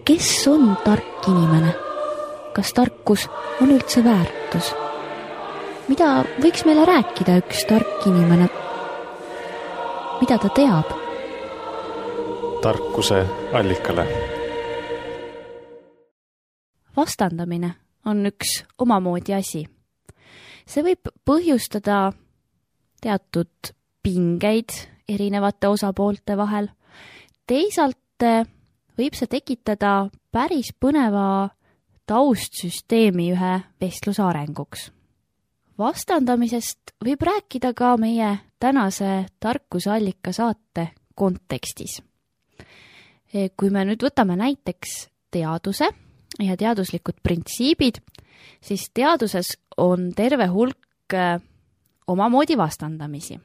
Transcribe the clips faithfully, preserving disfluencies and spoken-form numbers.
kes on tark inimene? Kas tarkus on üldse väärtus? Mida võiks meile rääkida üks tark inimene? Mida ta teab? Tarkuse allikale. Vastandamine on üks omamoodi asi. See võib põhjustada teatud pingeid erinevate osapoolte vahel. Teisalt võib see tekitada päris põneva taustsüsteemi ühe vestluse arenguks. Vastandamisest võib rääkida ka meie tänase tarkusallika saate kontekstis. Kui me nüüd võtame näiteks teaduse ja teaduslikud printsiibid, siis teaduses on terve hulk omamoodi vastandamisi.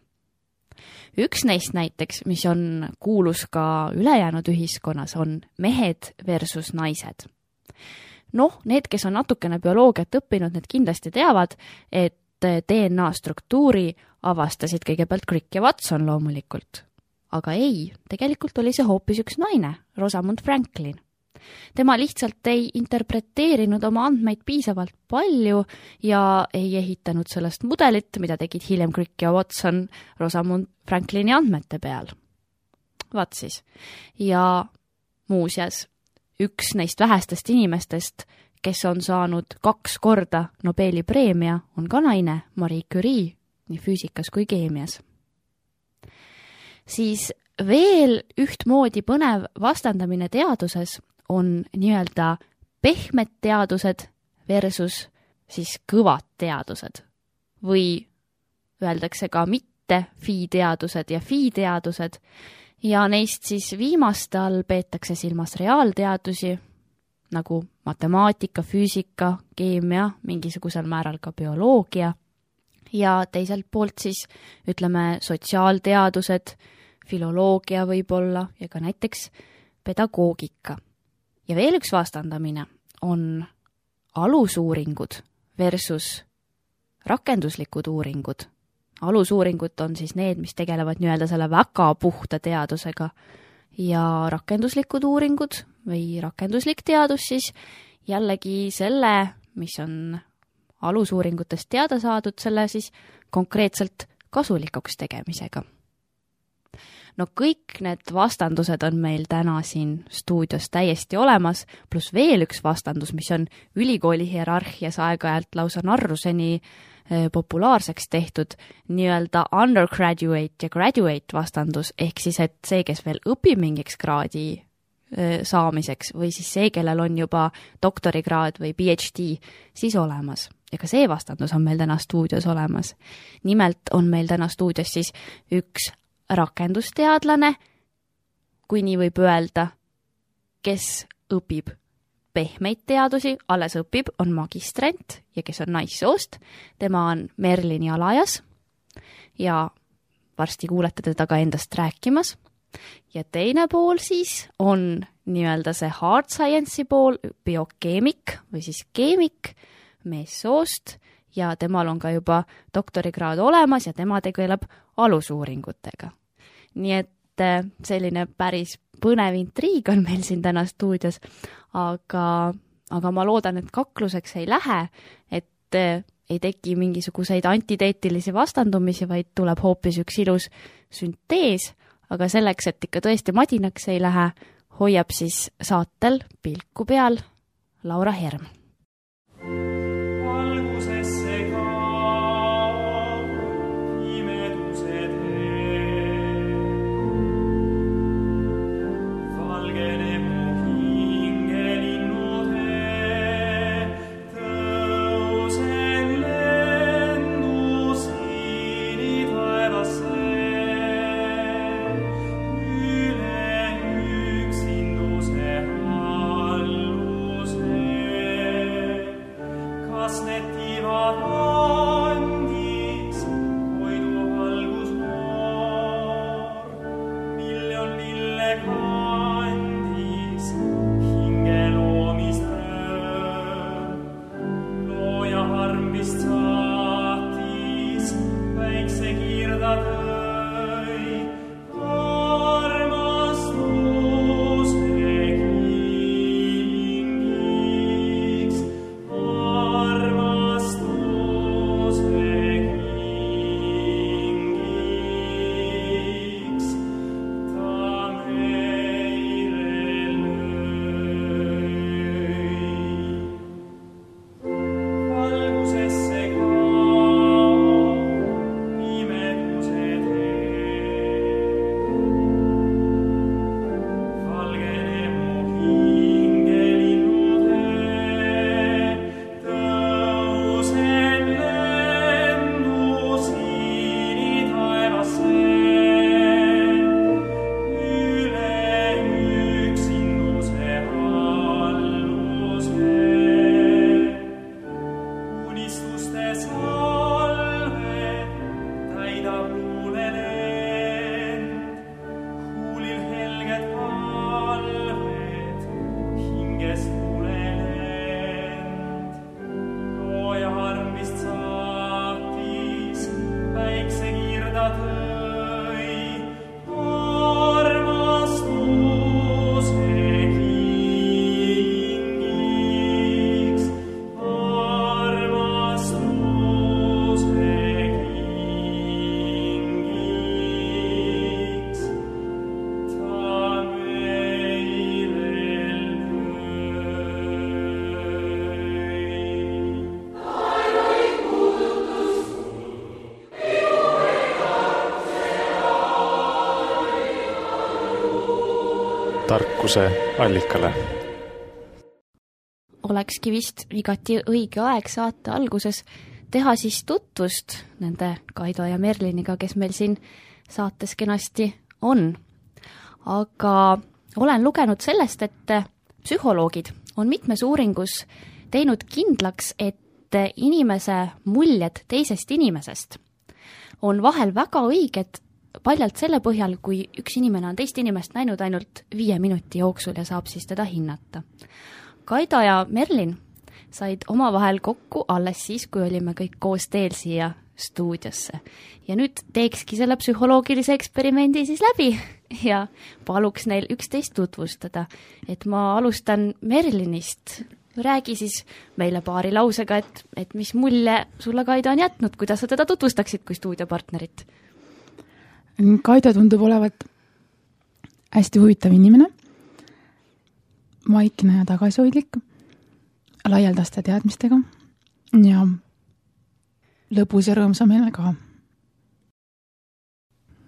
Üks neist näiteks, mis on kuulus ka ülejäänud ühiskonnas, on mehed versus naised. Noh, need, kes on natukene bioloogiat õppinud, need kindlasti teavad, et D N A struktuuri avastasid kõigepealt Crick ja Watson loomulikult. Aga ei, tegelikult oli see hoopis üks naine, Rosamund Franklin. Tema lihtsalt ei interpreteerinud oma andmeid piisavalt palju ja ei ehitanud sellest mudelit, mida tegid hiljem Crick ja Watson Rosamund Franklini andmete peal. Vaat siis. Ja muuseas, üks neist vähestest inimestest, kes on saanud kaks korda Nobeli preemia, on ka naine, Marie Curie, nii füüsikas kui keemias. Siis veel ühtmoodi põnev vastandamine teaduses on nii-öelda pehmed teadused versus siis kõvad teadused. Või öeldakse ka mitte fi-teadused ja fi-teadused ja neist siis viimaste all peetakse silmas reaalteadusi, nagu matemaatika, füüsika, keemia, mingisugusel määral ka bioloogia ja teiselt poolt siis ütleme sotsiaalteadused, filoloogia võib-olla ja ka näiteks pedagoogika. Ja veel üks vastandamine on alusuuringud versus rakenduslikud uuringud. Alusuuringud on siis need, mis tegelevad nii-öelda selle väga puhta teadusega ja rakenduslikud uuringud või rakenduslik teadus siis jällegi selle, mis on alusuuringutest teada saadud, selle siis konkreetselt kasulikuks tegemisega. No kõik need vastandused on meil täna siin stuudios täiesti olemas, pluss veel üks vastandus, mis on ülikooli hierarhias aeg-ajalt lausa narruseni populaarseks tehtud, nii-öelda undergraduate ja graduate vastandus, ehk siis, et see, kes veel õpib mingiks kraadi saamiseks või siis see, kellel on juba doktorikraad või P H D, siis olemas. Ja ka see vastandus on meil täna stuudios olemas. Nimelt on meil täna stuudios siis üks rakendusteadlane, kui nii võib öelda, kes õpib pehmeid teadusi, alles õpib, on magistrant ja kes on naissoost. Tema on Merlin Jalajas ja varsti kuulete teda ka endast rääkimas. Ja teine pool siis on nii-öelda see hard science'i pool, biokeemik või siis keemik, meessoost ja temal on ka juba doktorikraad olemas ja tema tegeleb alusuuringutega. Nii et selline päris põnev intriig on meil siin täna stuudios, aga, aga ma loodan, et kakluseks ei lähe, et ei teki mingisuguseid antiteetilisi vastandumisi, vaid tuleb hoopis üks ilus süntees, aga selleks, et ikka tõesti madinaks ei lähe, hoiab siis saatel pilku peal Laura Herm. Üle yksin se halluse. tarkuse allikale. Olekski vist igati õige aeg saate alguses teha siis tutvust nende Kaido ja Merliniga, kes meil siin saates kenasti on. Aga olen lugenud sellest, et psühholoogid on mitmes uuringus teinud kindlaks, et inimese muljed teisest inimesest on vahel väga õiged paljalt selle põhjal, kui üks inimene on teist inimest näinud ainult viie minuti jooksul ja saab siis teda hinnata. Kaido ja Merlin said omavahel kokku alles siis, kui olime kõik koos teel siia stuudiosse. Ja nüüd teekski selle psühholoogilise eksperimendi siis läbi ja paluks neil üksteist tutvustada. Et ma alustan Merlinist. Räägi siis meile paari lausega, et, et mis mulje sulle Kaido on jätnud, kuidas sa teda tutvustaksid kui stuudiopartnerit? Kaido tundub olevat hästi huvitav inimene, vaikne ja tagasihoidlik, laialdaste teadmistega ja lõbus ja rõõmsa meelega.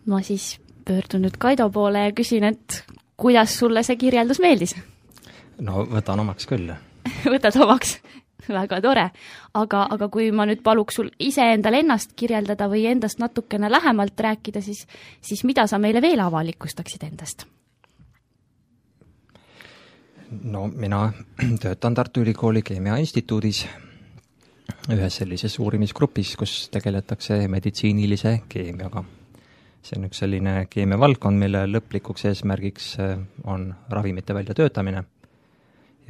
Ma siis pöördun nüüd Kaido poole ja küsin, et kuidas sulle see kirjeldus meeldis? No võtan omaks küll. Võtad omaks? Väga tore. Aga, aga kui ma nüüd paluks sul ise endal ennast kirjeldada või endast natukene lähemalt rääkida, siis, siis mida sa meile veel avalikustaksid endast? No mina töötan Tartu Ülikooli Keemia Instituudis ühes sellises uurimisgrupis, kus tegeletakse meditsiinilise keemiaga. See on üks selline keemia valdkond, mille lõplikuks eesmärgiks on ravimite väljatöötamine.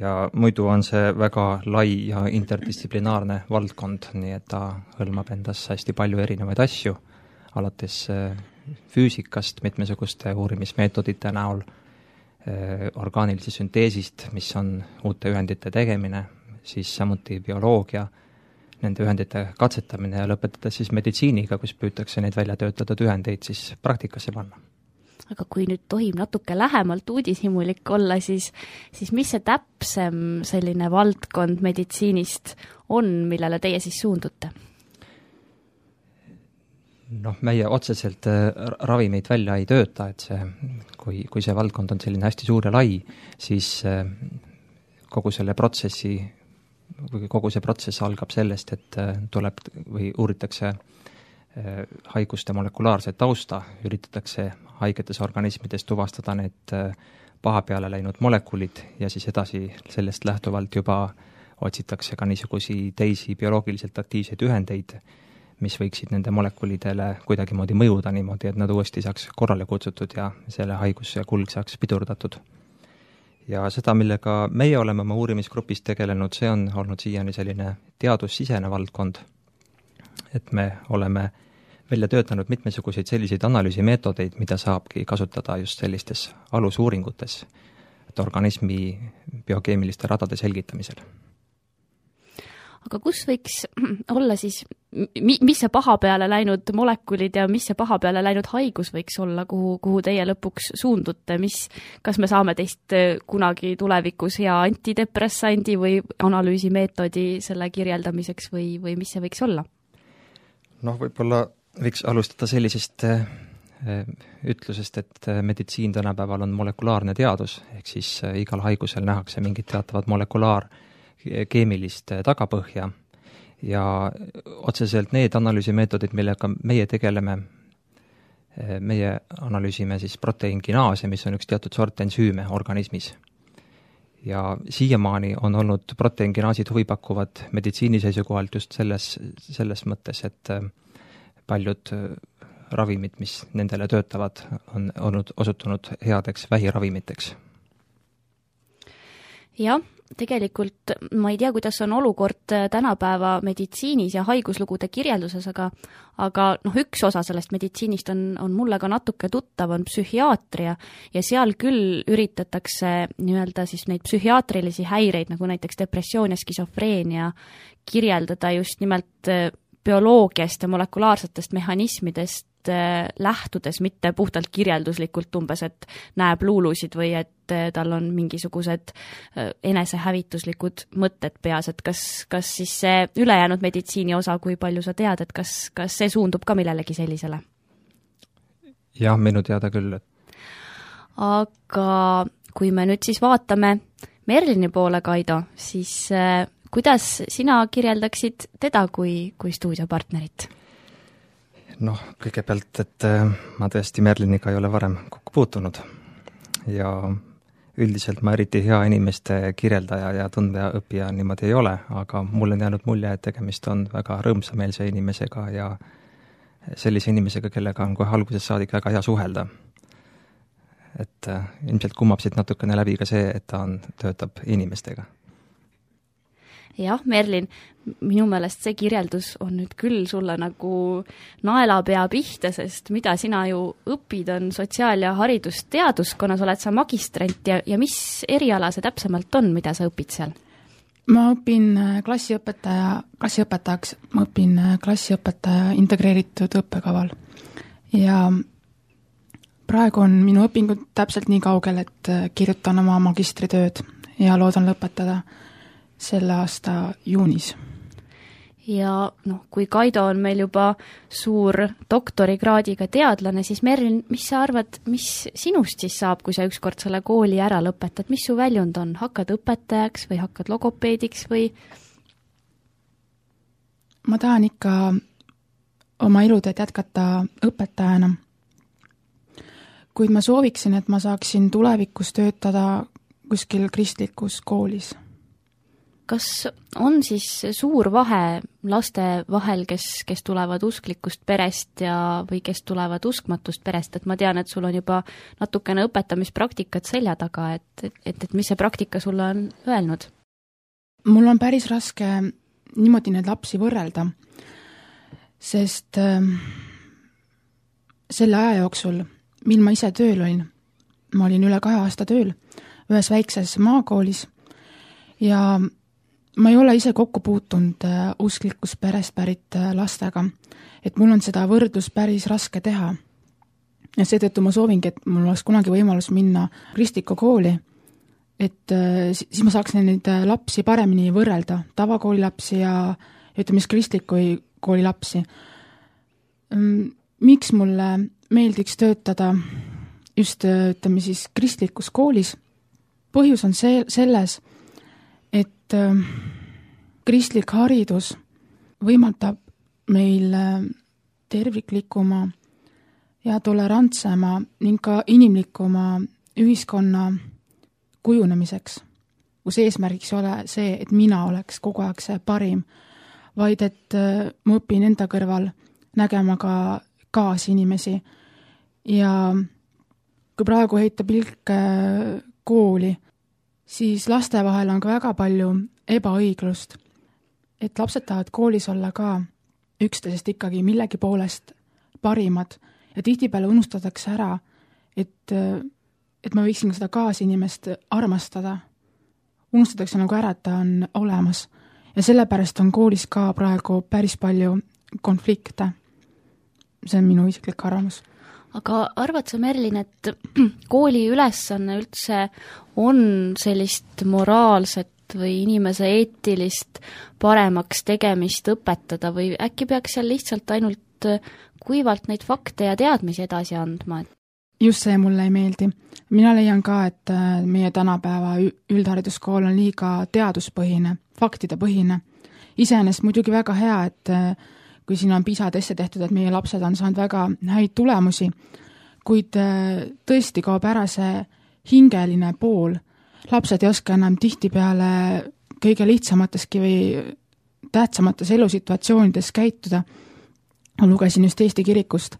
Ja muidu on see väga lai ja interdistsiplinaarne valdkond, nii et ta hõlmab endas hästi palju erinevaid asju, alates füüsikast, mitmesuguste uurimismeetodite näol, orgaanilise sünteesist, mis on uute ühendite tegemine, siis samuti bioloogia, nende ühendite katsetamine ja lõpetades siis meditsiiniga, kus püütakse neid välja töötatud ühendeid siis praktikasse panna. Aga kui nüüd tohib natuke lähemalt uudishimulik olla, siis, siis mis see täpsem selline valdkond meditsiinist on, millele teie siis suundute? Noh, meie otseselt ravimeid välja ei tööta, et see, kui, kui see valdkond on selline hästi suur ja lai, siis kogu selle protsessi, kogu see protsess algab sellest, et tuleb või uuritakse haiguste molekulaarset tausta, üritatakse haigetes organismides tuvastada need paha peale läinud molekulid ja siis edasi sellest lähtuvalt juba otsitakse ka niisugusi teisi bioloogiliselt aktiivseid ühendeid, mis võiksid nende molekulidele kuidagimoodi mõjuda niimoodi, et nad uuesti saaks korrale kutsutud ja selle haiguse kulg saaks pidurdatud. Ja seda, millega meie oleme oma uurimisgrupis tegelenud, see on olnud siiani selline teadussisene valdkond, et me oleme välja töötanud mitmesuguseid selliseid analüüsimeetodeid, mida saabki kasutada just sellistes alusuuringutes, et organismi biokeemiliste radade selgitamisel. Aga kus võiks olla siis, mis see paha peale läinud molekulid ja mis see paha peale läinud haigus võiks olla, kuhu, kuhu teie lõpuks suundute, mis, kas me saame teist kunagi tulevikus hea antidepressandi või analüüsimeetodi selle kirjeldamiseks või, või mis see võiks olla? Noh, võib-olla võiks alustada sellisest ütlusest, et meditsiin tänapäeval on molekulaarne teadus, ehk siis igal haigusel nähakse mingit teatavat molekulaar keemilist tagapõhja ja otseselt need analüüsimeetodid, millega meie tegeleme, meie analüüsime siis proteiinkinaase, mis on üks teatud sort ensüüme organismis. Ja siiamaani on olnud proteiinkinaasid huvipakkuvad meditsiini seisukohalt just selles, selles mõttes, et paljud ravimid, mis nendele töötavad, on olnud osutunud headeks vähiravimiteks. jah, tegelikult ma ei tea, kuidas on olukord tänapäeva meditsiinis ja haiguslugude kirjelduses, aga aga noh, üks osa sellest meditsiinist on, on mulle ka natuke tuttav, on psühhiaatria ja seal küll üritatakse nii-öelda siis neid psühhiaatrilisi häireid, nagu näiteks depressioon ja skisofreenia, kirjeldada just nimelt bioloogiast ja molekulaarsetest mehhanismidest lähtudes, mitte puhtalt kirjelduslikult umbes, et näeb luulusid või et tal on mingisugused enesehävituslikud mõtted peas, et kas, kas siis see ülejäänud meditsiini osa, kui palju sa tead, et kas, kas see suundub ka millelegi sellisele? jah, minu teada küll. Aga kui me nüüd siis vaatame Merlini poole, Kaido, siis kuidas sina kirjeldaksid teda kui, kui stuudiopartnerit? noh, kõigepealt, et ma tõesti Merliniga ei ole varem kokku puutunud ja üldiselt ma eriti hea inimeste kirjeldaja ja tundja õppija niimoodi ei ole, aga mul on jäänud mulje, et tegemist on väga rõõmsameelse inimesega ja sellise inimesega, kellega on kohe algusest saadik väga hea suhelda. Et ilmselt kummab siit natukene läbi ka see, et ta on, töötab inimestega. Jah, Merlin, minu meelest see kirjeldus on nüüd küll sulle nagu naelapea pihta, sest mida sina ju õpid, on sotsiaal- ja haridusteaduskonnas, oled sa magistrant ja, ja mis eriala see täpsemalt on, mida sa õpid seal? Ma õpin klassiõpetaja, klassiõpetajaks, ma õpin klassiõpetaja integreeritud õppekaval ja praegu on minu õpingud täpselt nii kaugel, et kirjutan oma magistritööd ja loodan lõpetada selle aasta juunis. Ja noh, kui Kaido on meil juba suur doktorikraadiga teadlane, siis Merlin, mis sa arvad, mis sinust siis saab, kui sa ükskord selle kooli ära lõpetad? Mis su väljund on? Hakkad õpetajaks või hakkad logopeediks või? Ma tahan ikka oma eluteed jätkata õpetajana, kuid ma sooviksin, et ma saaksin tulevikus töötada kuskil kristlikus koolis. Kas on siis suur vahe laste vahel, kes, kes tulevad usklikust perest ja, või kes tulevad uskmatust perest, et ma tean, et sul on juba natukene õpetamispraktikat selja taga, et, et, et mis see praktika sulle on öelnud? Mul on päris raske niimoodi neid lapsi võrrelda, sest äh, selle aja jooksul, mil ma ise tööl olin, ma olin üle kahe aasta tööl ühes väikses maakoolis ja ma ei ole ise kokku puutunud usklikust perest pärit lastega, et mul on seda võrdlus päris raske teha. Ja seetõttu ma soovingi, et mul oleks kunagi võimalus minna kristlikku kooli, et siis ma saaks neid lapsi paremini võrrelda, tavakooli lapsi ja ütleme siis kristliku kooli lapsi. Miks mulle meeldiks töötada just ütleme siis kristlikus koolis? Põhjus on see, selles, et kristlik haridus võimaldab meil terviklikuma ja tolerantsema ning ka inimlikuma ühiskonna kujunemiseks, kus eesmärgiks ei ole see, et mina oleks kogu aeg see parim, vaid et ma õpin enda kõrval nägema ka kaasinimesi ja kui praegu heita pilk kooli, siis laste vahel on ka väga palju ebaõiglust, et lapsed tahavad koolis olla ka üksteisest ikkagi millegi poolest parimad ja tihtipeale unustatakse ära, et, et ma võiksin seda kaasinimest armastada. Unustatakse nagu ära, et ta on olemas ja sellepärast on koolis ka praegu päris palju konflikte. See on minu isiklik arvamus. Aga arvad sa, Merlin, et kooli ülesanne üldse on sellist moraalset või inimese eetilist paremaks tegemist õpetada või äkki peaks seal lihtsalt ainult kuivalt neid fakte ja teadmisi edasi andma? Just see mulle ei meeldi. Mina leian ka, et meie tänapäeva üldhariduskool on liiga teaduspõhine, faktidepõhine. Iseenesest muidugi väga hea, et kui siin on PISA teste tehtud, et meie lapsed on saanud väga häid tulemusi, kuid tõesti kaob ära see hingeline pool. Lapsed ei oska enam tihtipeale kõige lihtsamateski või tähtsamates elusituatsioonides käituda. Ma lugesin just Eesti kirikust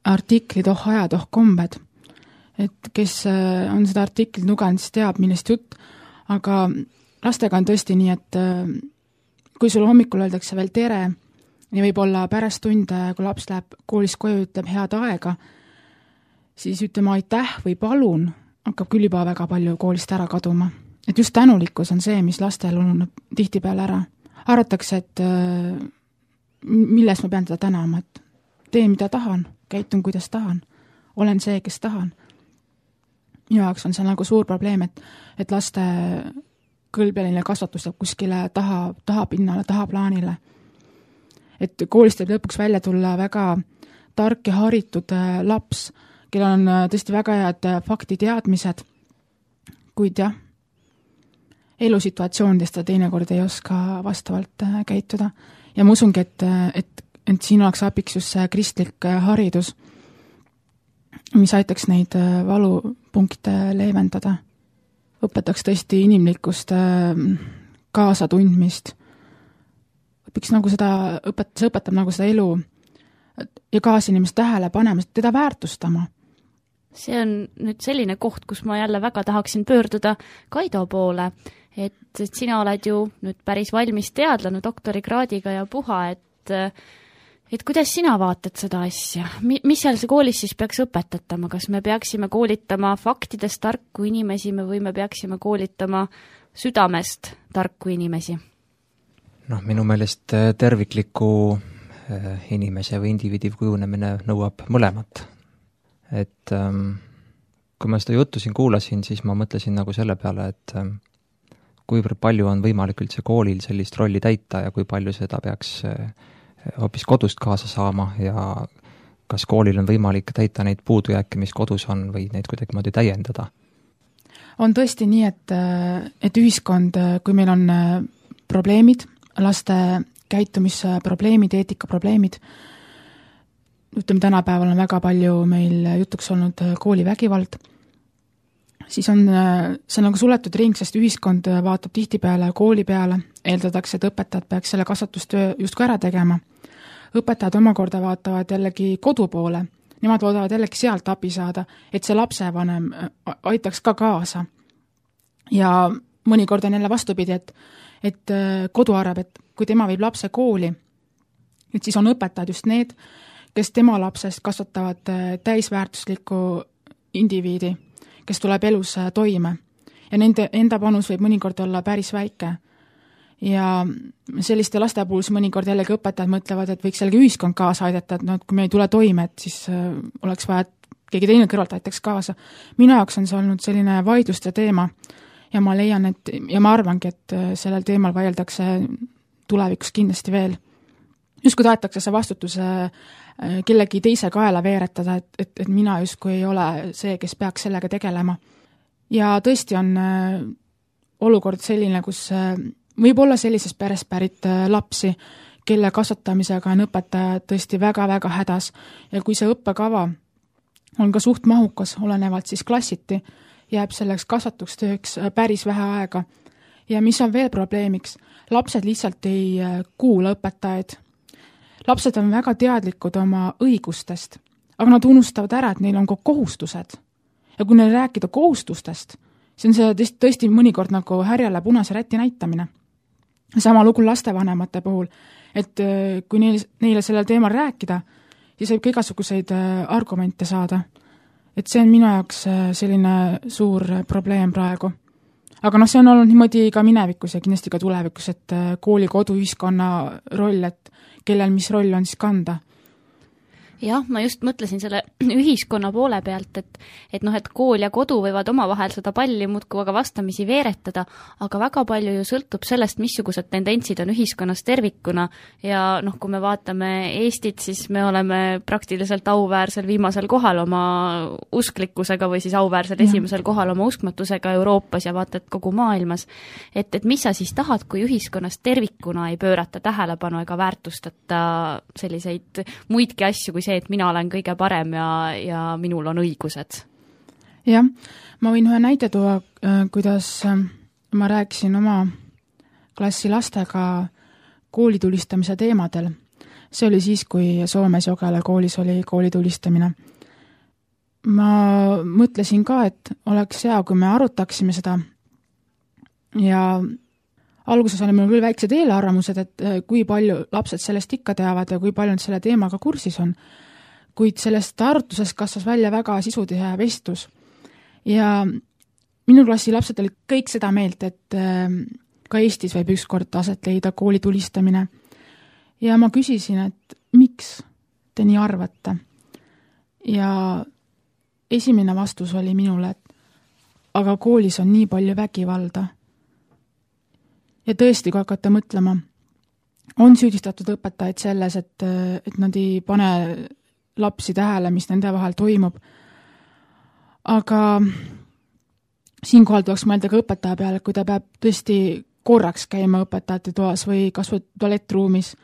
artiklid Oh ajad, oh kombed. Et kes on seda artiklit lugenud, siis teab, millest jutt. aga lastega on tõesti nii, et kui sul hommikul öeldakse veel tere ja võib-olla pärast tunde, kui laps läheb koolist koju, ütleb head aega, siis ütlema aitäh või palun, hakkab küll juba väga palju koolist ära kaduma. Et just tänulikkus on see, mis lastel ununeb tihtipeale ära. Arvatakse, et milles ma pean teda tänama, et teen, mida tahan, käitun, kuidas tahan, olen see, kes tahan. Minu jaoks on see nagu suur probleem, et, et laste kõlbeline kasvatus jääb kuskile taha, taha pinnale, taha plaanile. Et koolist võib lõpuks välja tulla väga tark ja haritud laps, kellel on tõesti väga head faktiteadmised, kuid jah, elusituatsioonidest ta teinekord ei oska vastavalt käituda. Ja ma usungi, et, et, et siin oleks abiks just see kristlik haridus, mis aitaks neid valupunkte leevendada. Õpetaks tõesti inimlikkust, kaasatundmist. Õpiks nagu seda, õpet, see õpetab nagu seda elu ja kaasinimest tähele panemast, teda väärtustama. See on nüüd selline koht, kus ma jälle väga tahaksin pöörduda Kaido poole, et, et sina oled ju nüüd päris valmis teadlane doktorikraadiga ja puha, et, et kuidas sina vaatad seda asja? Mis seal see koolis siis peaks õpetatama? Kas me peaksime koolitama faktidest tarku inimesi või me peaksime koolitama südamest tarku inimesi? Noh, minu meelest tervikliku inimese või indiviidi kujunemine nõuab mõlemat. Et ähm, kui ma seda juttu siin kuulasin, siis ma mõtlesin nagu selle peale, et ähm, kuivõrd palju on võimalik üldse koolil sellist rolli täita ja kui palju seda peaks äh, hoopis kodust kaasa saama ja kas koolil on võimalik täita neid puudujääke, mis kodus on või neid kuidagi moodi täiendada? On tõesti nii, et, et ühiskond, kui meil on probleemid, laste käitumisprobleemid, eetikaprobleemid, ütleme, tänapäeval on väga palju meil jutuks olnud koolivägivald, siis on see nagu suletud ring, sest ühiskond vaatab tihtipeale kooli peale, eeldatakse, et õpetajad peaks selle kasvatustöö justkui ära tegema. Õpetajad omakorda vaatavad jällegi kodu poole, nemad loodavad jällegi sealt abi saada, et see lapsevanem aitaks ka kaasa. Ja mõnikord on jälle vastupidi, et, et kodu arvab, et kui tema viib lapse kooli, et siis on õpetajad just need, kes tema lapsest kasvatavad täisväärtuslikku indiviidi, kes tuleb elus toime. Ja nende enda panus võib mõnikord olla päris väike. Ja selliste laste puhul mõnikord jällegi õpetajad mõtlevad, et võiks jällegi ühiskond kaasa aidata, et no, kui me ei tule toime, et siis oleks vaja, et keegi teine kõrvalt aitaks kaasa. Minu jaoks on see olnud selline vaidluste teema ja ma leian, et, ja ma arvangi, et sellel teemal vaieldakse tulevikus kindlasti veel. Just kui tahetakse see vastutuse kellegi teise kaela veeretada, et, et, et mina justkui ei ole see, kes peaks sellega tegelema. Ja tõesti on olukord selline, kus võib olla sellises peres pärit lapsi, kelle kasvatamisega on õpetaja tõesti väga-väga hädas ja kui see õppekava on ka suht mahukas, olenevalt siis klassiti, jääb selleks kasvatustööks päris vähe aega. Ja mis on veel probleemiks? Lapsed lihtsalt ei kuula õpetajaid. Lapsed on väga teadlikud oma õigustest, aga nad unustavad ära, et neil on ka kohustused. Ja kui neil rääkida kohustustest, see on see tõesti mõnikord nagu härjale punase räti näitamine. Sama lugu lastevanemate puhul, et kui neil, neile sellel teemal rääkida, siis võib ka igasuguseid argumente saada. Et see on minu jaoks selline suur probleem praegu. Aga noh, see on olnud niimoodi ka minevikus ja kindlasti ka tulevikus, et kooli, kodu, ühiskonna roll, et kellel mis roll on siis kanda. Jah, ma just mõtlesin selle ühiskonna poole pealt, et, et noh, et kool ja kodu võivad omavahel seda palli muudkui aga vastamisi veeretada, aga väga palju ju sõltub sellest, missugused tendentsid on ühiskonnas tervikuna ja noh, kui me vaatame Eestit, siis me oleme praktiliselt auväärsel viimasel kohal oma usklikkusega või siis auväärsel ja. esimesel kohal oma uskmatusega Euroopas ja vaatad kogu maailmas. Et, et mis sa siis tahad, kui ühiskonnas tervikuna ei pöörata tähelepanu ega väärtustata selliseid muidki asju, kui see, et mina olen kõige parem ja, ja minul on õigused. Jah, ma võin ühe näite tuua, kuidas ma rääkisin oma klassi lastega koolitulistamise teemadel. See oli siis, kui Soomes Jogele koolis oli koolitulistamine. Ma mõtlesin ka, et oleks hea, kui me arutaksime seda ja alguses oli mul küll väiksed eelarvamused, et kui palju lapsed sellest ikka teavad ja kui palju nad selle teemaga kursis on, kuid sellest arutlusest kasvas välja väga sisutihe vestlus. Ja minu klassi lapsed olid kõik seda meelt, et ka Eestis võib ükskord aset leida kooli tulistamine. Ja ma küsisin, et miks te nii arvate? Ja esimene vastus oli minule, et aga koolis on nii palju vägivalda. Ja tõesti, kui hakata mõtlema, on süüdistatud õpetajaid selles, et, et nad ei pane lapsi tähele, mis nende vahel toimub. Aga siinkohal tuleks mõelda ka õpetaja peale, kui ta peab tõesti korraks käima õpetajate toas või kas või tualettruumis.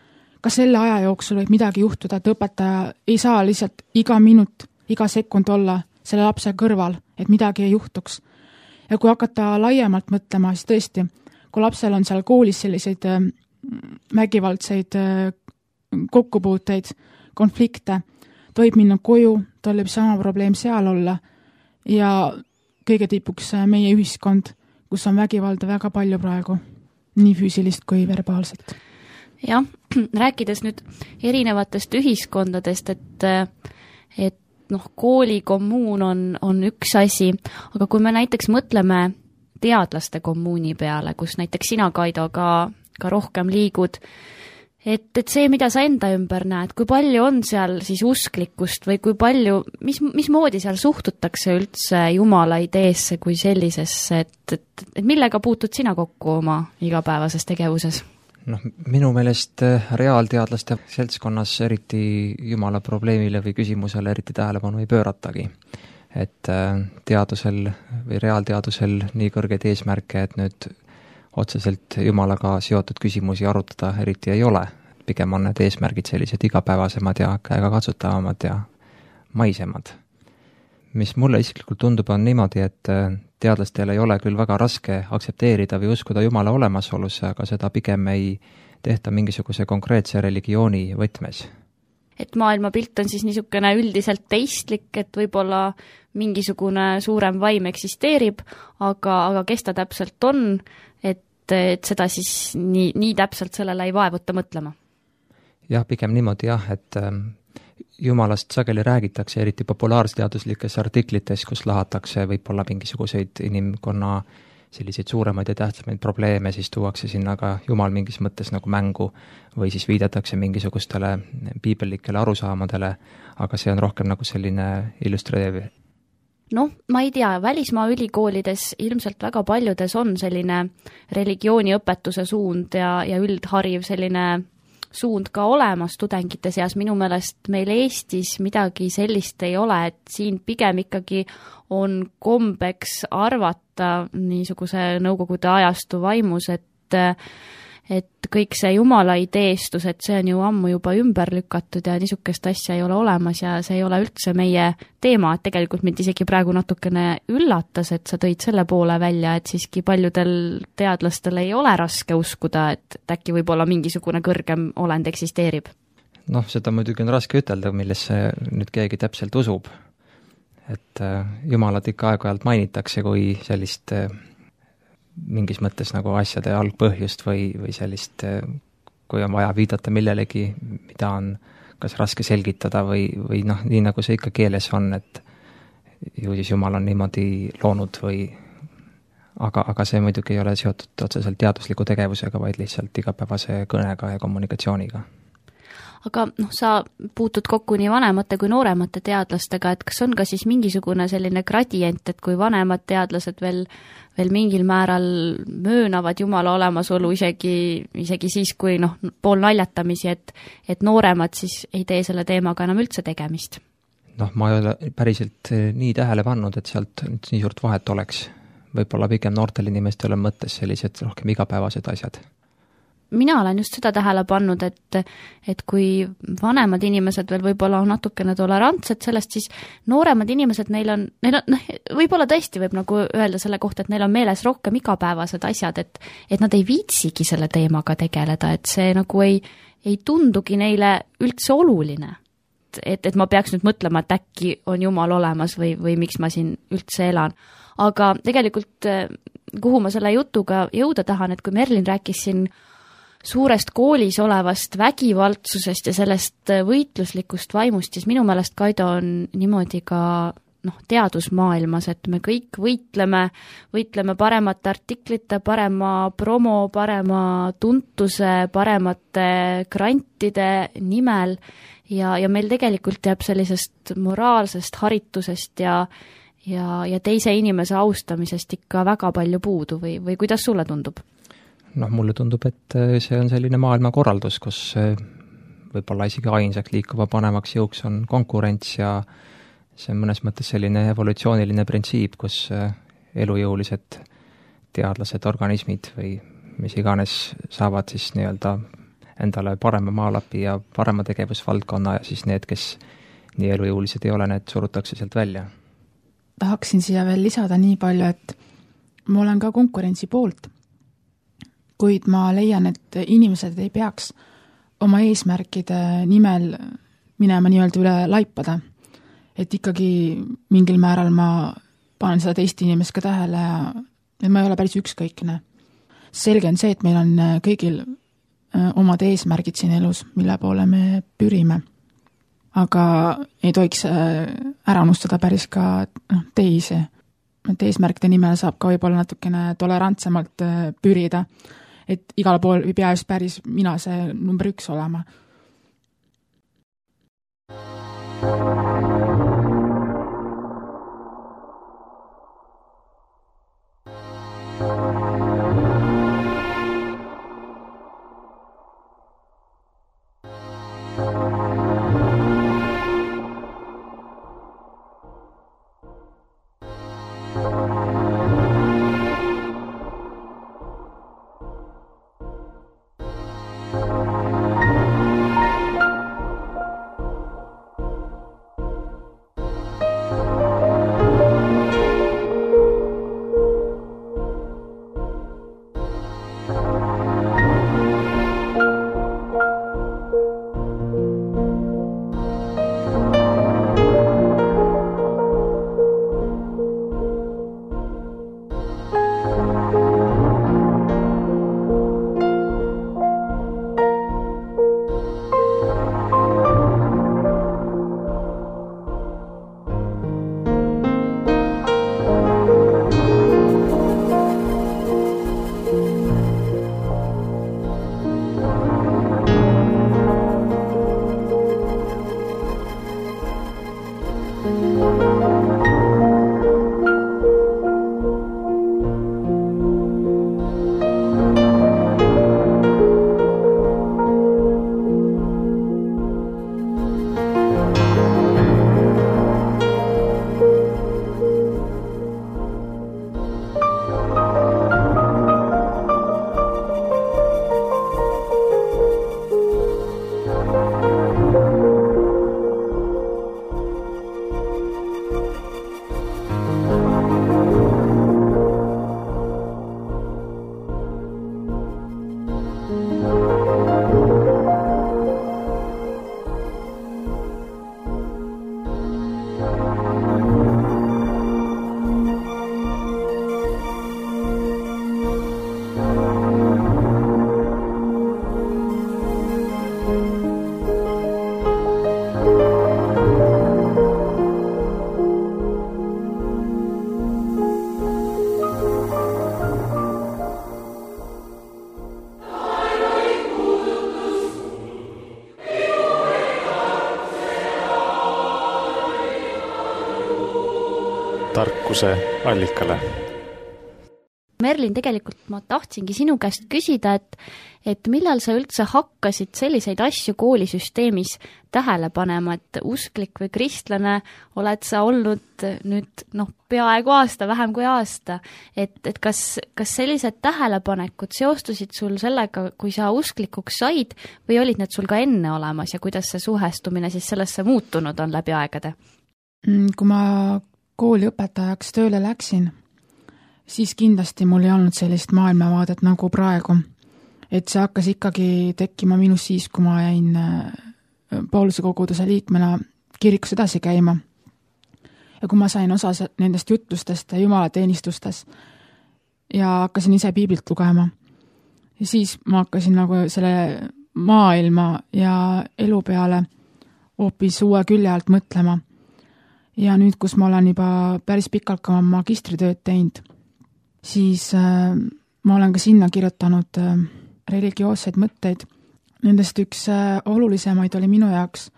Ka selle aja jooksul võib midagi juhtuda, et õpetaja ei saa lihtsalt iga minut, iga sekund olla selle lapse kõrval, et midagi ei juhtuks. Ja kui hakata laiemalt mõtlema, siis tõesti, kui lapsel on seal koolis selliseid vägivaldseid kokkupuuteid, konflikte, ta võib minna koju, tal võib sama probleem seal olla ja kõige tipuks meie ühiskond, kus on vägivalda väga palju praegu, nii füüsilist kui verbaalset. Jah, rääkides nüüd erinevatest ühiskondadest, et, et noh, kooli kommuun on, on üks asi, aga kui me näiteks mõtleme teadlaste kommuuni peale, kus näiteks sina, Kaido, ka, ka rohkem liigud, et, et see, mida sa enda ümber näed, kui palju on seal siis usklikkust või kui palju, mis, mismoodi seal suhtutakse üldse Jumala ideesse kui sellisesse, et, et, et millega puutud sina kokku oma igapäevases tegevuses? Noh, minu meelest reaalteadlaste seltskonnas eriti Jumala probleemile või küsimusele eriti tähelepanu ei pööratagi. Et teadusel või reaalteadusel nii kõrgeid eesmärke, et nüüd otseselt Jumalaga seotud küsimusi arutada eriti ei ole. Pigem on need eesmärgid sellised igapäevasemad ja käega katsutavamad ja maisemad. Mis mulle isiklikult tundub on niimoodi, et teadlastel ei ole küll väga raske aktsepteerida või uskuda Jumala olemasoluse, aga seda pigem ei tehta mingisuguse konkreetse religiooni võtmes. Et maailmapilt on siis niisugune üldiselt teistlik, et võib-olla mingisugune suurem vaim eksisteerib, aga, aga kes ta täpselt on, et, et seda siis nii, nii täpselt sellele ei vaevuta mõtlema. Jah, pigem niimoodi jah, et Jumalast sageli räägitakse eriti populaarsteaduslikes artiklites, kus lahatakse võib-olla mingisuguseid inimkonna selliseid suuremaid ja tähtsamaid probleeme, siis tuuakse sinna ka Jumal mingis mõttes nagu mängu või siis viidatakse mingisugustele piibellikele arusaamadele, aga see on rohkem nagu selline illustreeriv. Noh, ma ei tea, välismaa ülikoolides ilmselt väga paljudes on selline religiooniõpetuse suund ja, ja üldhariv selline suund ka olemas tudengite seas. Minu meelest meil Eestis midagi sellist ei ole, et siin pigem ikkagi on kombeks arvata niisuguse nõukogude ajastu vaimus, et, et kõik see Jumala ideestus, et see on ju ammu juba ümber lükatud ja niisugust asja ei ole olemas ja see ei ole üldse meie teema, et tegelikult mind isegi praegu natukene üllatas, et sa tõid selle poole välja, et siiski paljudel teadlastel ei ole raske uskuda, et äkki võib-olla mingisugune kõrgem olend eksisteerib. Noh, seda muidugi on raske ütelda, millesse nüüd keegi täpselt usub. Et Jumalat ikka aeg-ajalt mainitakse kui sellist mingis mõttes nagu asjade algpõhjust või, või sellist, kui on vaja viidata millelegi, mida on kas raske selgitada või, või noh, nii nagu see ikka keeles on, et ju siis Jumal on niimoodi loonud või aga, aga see muidugi ei ole seotud otseselt teadusliku tegevusega, vaid lihtsalt igapäevase kõnega ja kommunikatsiooniga. Aga noh, sa puutud kokku nii vanemate kui nooremate teadlastega, et kas on ka siis mingisugune selline gradient, et kui vanemad teadlased veel, veel mingil määral möönavad Jumala olemasolu isegi, isegi siis, kui noh, pool naljatamisi, et, et nooremad siis ei tee selle teemaga enam üldse tegemist? Noh, ma ei ole päriselt nii tähele pannud, et sealt nii suurt vahet oleks. Võib-olla pigem noortel inimestel on mõttes sellised rohkem igapäevased asjad. Mina olen just seda tähele pannud, et, et kui vanemad inimesed veel võib-olla on natukene tolerantsed sellest, siis nooremad inimesed, neil on, neil on, võib-olla tõesti võib nagu öelda selle kohta, et neil on meeles rohkem igapäevased asjad, et, et nad ei viitsigi selle teemaga tegeleda, et see nagu ei, ei tundugi neile üldse oluline. Et, et ma peaks nüüd mõtlema, et äkki on Jumal olemas või, või miks ma siin üldse elan. Aga tegelikult kuhu ma selle jutuga jõuda tahan, et kui Merlin rääkis siin suurest koolis olevast vägivaldsusest ja sellest võitluslikust vaimust, siis minu meelest Kaido on niimoodi ka noh, teadusmaailmas, et me kõik võitleme, võitleme paremate artiklite, parema promo, parema tuntuse, paremate grantide nimel ja, ja meil tegelikult jääb sellisest moraalsest haritusest ja, ja, ja teise inimese austamisest ikka väga palju puudu või, või kuidas sulle tundub? Noh, mulle tundub, et see on selline maailmakorraldus, kus võib-olla isegi ainsaks liikuva panemaks jõuks on konkurents ja see on mõnes mõttes selline evolutsiooniline printsiip, kus elujõulised teadlased, organismid või mis iganes saavad siis nii-öelda endale parema maalapi ja parema tegevusvaldkonna ja siis need, kes nii elujõulised ei ole, need surutakse sealt välja. Tahaksin siia veel lisada nii palju, et ma olen ka konkurentsi poolt, kuid ma leian, et inimesed ei peaks oma eesmärkide nimel minema nii-öelda üle laipada. Et ikkagi mingil määral ma panen seda teist inimest ka tähele ja et ma ei ole päris ükskõikne. Selge on see, et meil on kõigil omad eesmärgid siin elus, mille poole me pürime. Aga ei tohiks ära unustada päris ka teisi. Et eesmärkide nimel saab ka võib-olla natukene tolerantsemalt pürida. Et igal pool ei pea just päris mina see number üks olema. tarkuse allikale. Merlin, tegelikult ma tahtsingi sinu käest küsida, et, et millal sa üldse hakkasid selliseid asju koolisüsteemis tähele panema, et usklik või kristlane oled sa olnud nüüd noh, peaaegu aasta, vähem kui aasta, et, et kas, kas sellised tähelepanekud seostusid sul sellega, kui sa usklikuks said või olid need sul ka enne olemas ja kuidas see suhestumine siis sellesse muutunud on läbi aegade? Kui ma kooli õpetajaks tööle läksin, siis kindlasti mul ei olnud sellist maailmavaadet nagu praegu. Et see hakkas ikkagi tekkima minus siis, kui ma jäin Pauluse koguduse liikmena kirikus edasi käima. Ja kui ma sain osa nendest jutlustest ja jumalateenistustes, ja hakkasin ise piiblilt lugema. Ja siis ma hakkasin nagu selle maailma ja elu peale hoopis uue külje alt mõtlema. Ja nüüd, kus ma olen juba päris pikalt ka magistritööd teinud, siis äh, ma olen ka sinna kirjutanud äh, religioosseid mõtteid. Nendest üks äh, olulisemaid oli minu jaoks,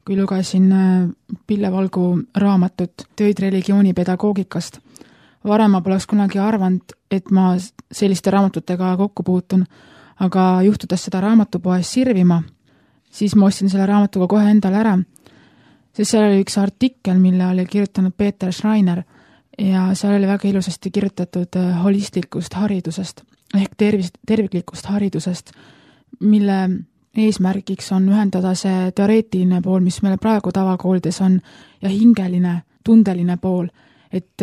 kui lugesin äh, Pille Valgu raamatut Tööid religioonipedagoogikast. Varem ma poleks kunagi arvanud, et ma selliste raamatutega kokku puutun, aga juhtudes seda raamatupoes sirvima, siis ma ostsin selle raamatuga kohe endale ära, sest seal oli üks artikkel, mille oli kirjutanud Peeter Schreiner ja seal oli väga ilusasti kirjutatud holistlikust haridusest ehk tervis, terviklikust haridusest, mille eesmärgiks on ühendada see teoreetiline pool, mis meil praegu tavakoolides on, ja hingeline, tundeline pool, et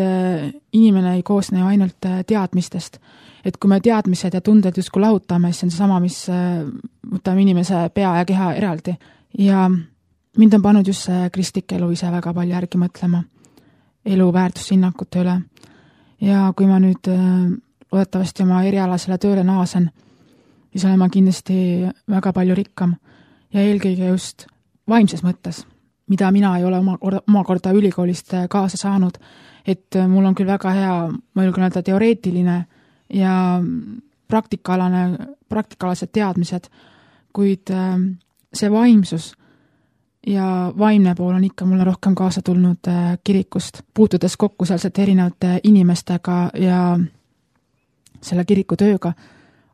inimene ei koosne ju ainult teadmistest. Et kui me teadmised ja tunded justkui lahutame, siis on see sama, mis võtame inimese pea ja keha eraldi. Ja mind on pannud just see kristlik elu ise väga palju järgi mõtlema elu väärtushinnakute üle. Ja kui ma nüüd loodetavasti oma erialasele tööle naasen, siis olen ma kindlasti väga palju rikkam ja eelkõige just vaimses mõttes, mida mina ei ole oma, oma korda ülikoolist kaasa saanud, et mul on küll väga hea, ma julgen öelda, teoreetiline ja praktikaalane, praktikalased teadmised, kuid see vaimsus ja vaimne pool on ikka mulle rohkem kaasa tulnud kirikust, puutudes kokku sealsete erinevate inimestega ja selle kiriku tööga,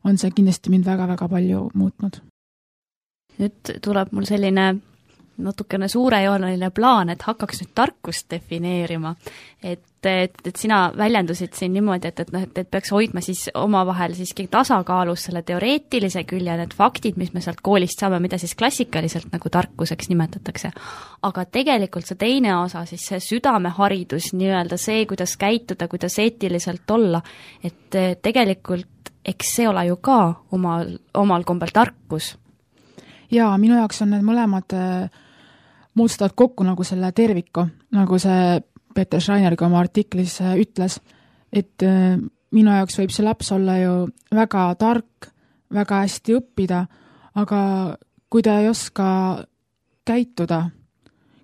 on see kindlasti mind väga-väga palju muutnud. Nüüd tuleb mul selline natukene suurejooneline plaan, et hakkaks nüüd tarkust defineerima. Et, et, et sina väljendusid siin niimoodi, et, et, et, et peaks hoidma siis omavahel siiski tasakaalus selle teoreetilise külje, need faktid, mis me sealt koolist saame, mida siis klassikaliselt nagu tarkuseks nimetatakse. Aga tegelikult see teine osa, siis see südameharidus, nii-öelda see, kuidas käituda, kuidas eetiliselt olla, et tegelikult eks see ole ju ka omal, omal kombel tarkus. Jaa, minu jaoks on need mõlemad moodustavad kokku nagu selle terviku, nagu see Peeter Schreinerga oma artiklis ütles, et minu jaoks võib see laps olla ju väga tark, väga hästi õppida, aga kui ta ei oska käituda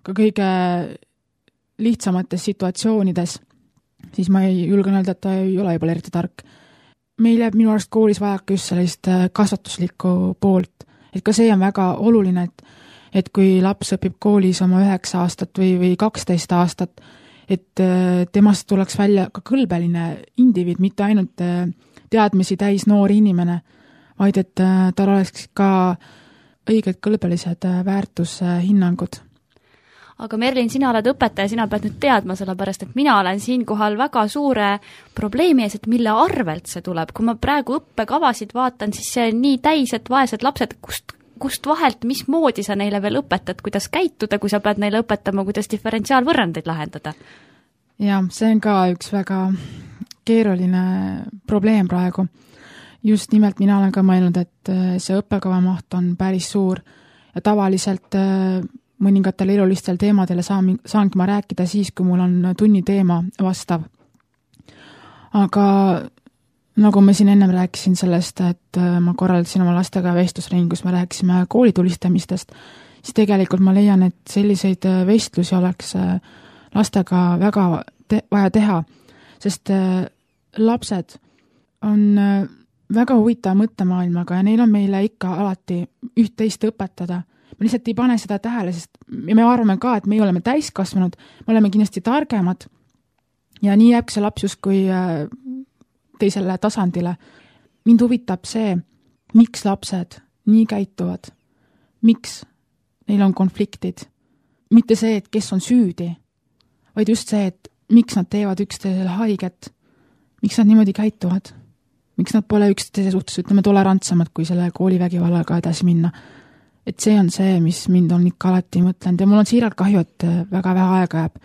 ka kõige lihtsamates situatsioonides, siis ma ei julgen öelda, et ta ei ole juba eriti tark. Meil jääb minu arust koolis vajaka just sellist kasvatuslikku poolt, et ka see on väga oluline, et et kui laps õpib koolis oma üheksa aastat või, või kaksteist aastat, et temast tuleks välja ka kõlbeline indiviid, mitte ainult teadmisi täis noori inimene, vaid et tal oleks ka õiged kõlbelised väärtushinnangud. Aga Merlin, sina oled õpetaja, sina pead nüüd teadma, sellepärast, et mina olen siinkohal väga suure probleemi ees, et mille arvelt see tuleb. Kui ma praegu õppekavasid vaatan, siis see on nii täis, et vaesed lapsed, kust kust vahelt, mis moodi sa neile veel õpetad, kuidas käituda, kui sa pead neile õpetama, kuidas diferentsiaalvõrrandeid lahendada? Ja, see on ka üks väga keeruline probleem praegu. Just nimelt mina olen ka mõelnud, et see õppekava maht on päris suur ja tavaliselt mõningatel elulistel teemadele saan, saangi ma rääkida siis, kui mul on tunni teema vastav. Aga nagu ma siin ennem rääkisin sellest, et ma korraldasin oma lastega vestlusringi, kus me rääkisime koolitulistamistest, siis tegelikult ma leian, et selliseid vestlusi oleks lastega väga te- vaja teha, sest lapsed on väga huvitava mõttemaailmaga ja neil on meile ikka alati üht-teist õpetada. Me lihtsalt ei pane seda tähele, sest me arvame ka, et me oleme täiskasvanud, me oleme kindlasti targemad ja nii jääb see laps justkui teisele tasandile. Mind huvitab see, miks lapsed nii käituvad, miks neil on konfliktid. Mitte see, et kes on süüdi, vaid just see, et miks nad teevad üksteisele haiget, miks nad niimoodi käituvad, miks nad pole üksteise suhtes, ütleme, tolerantsemad, kui selle koolivägivallaga edasi minna. Et see on see, mis mind on ikka alati mõtlenud ja mul on siiralt kahju, et väga vähe aega jääb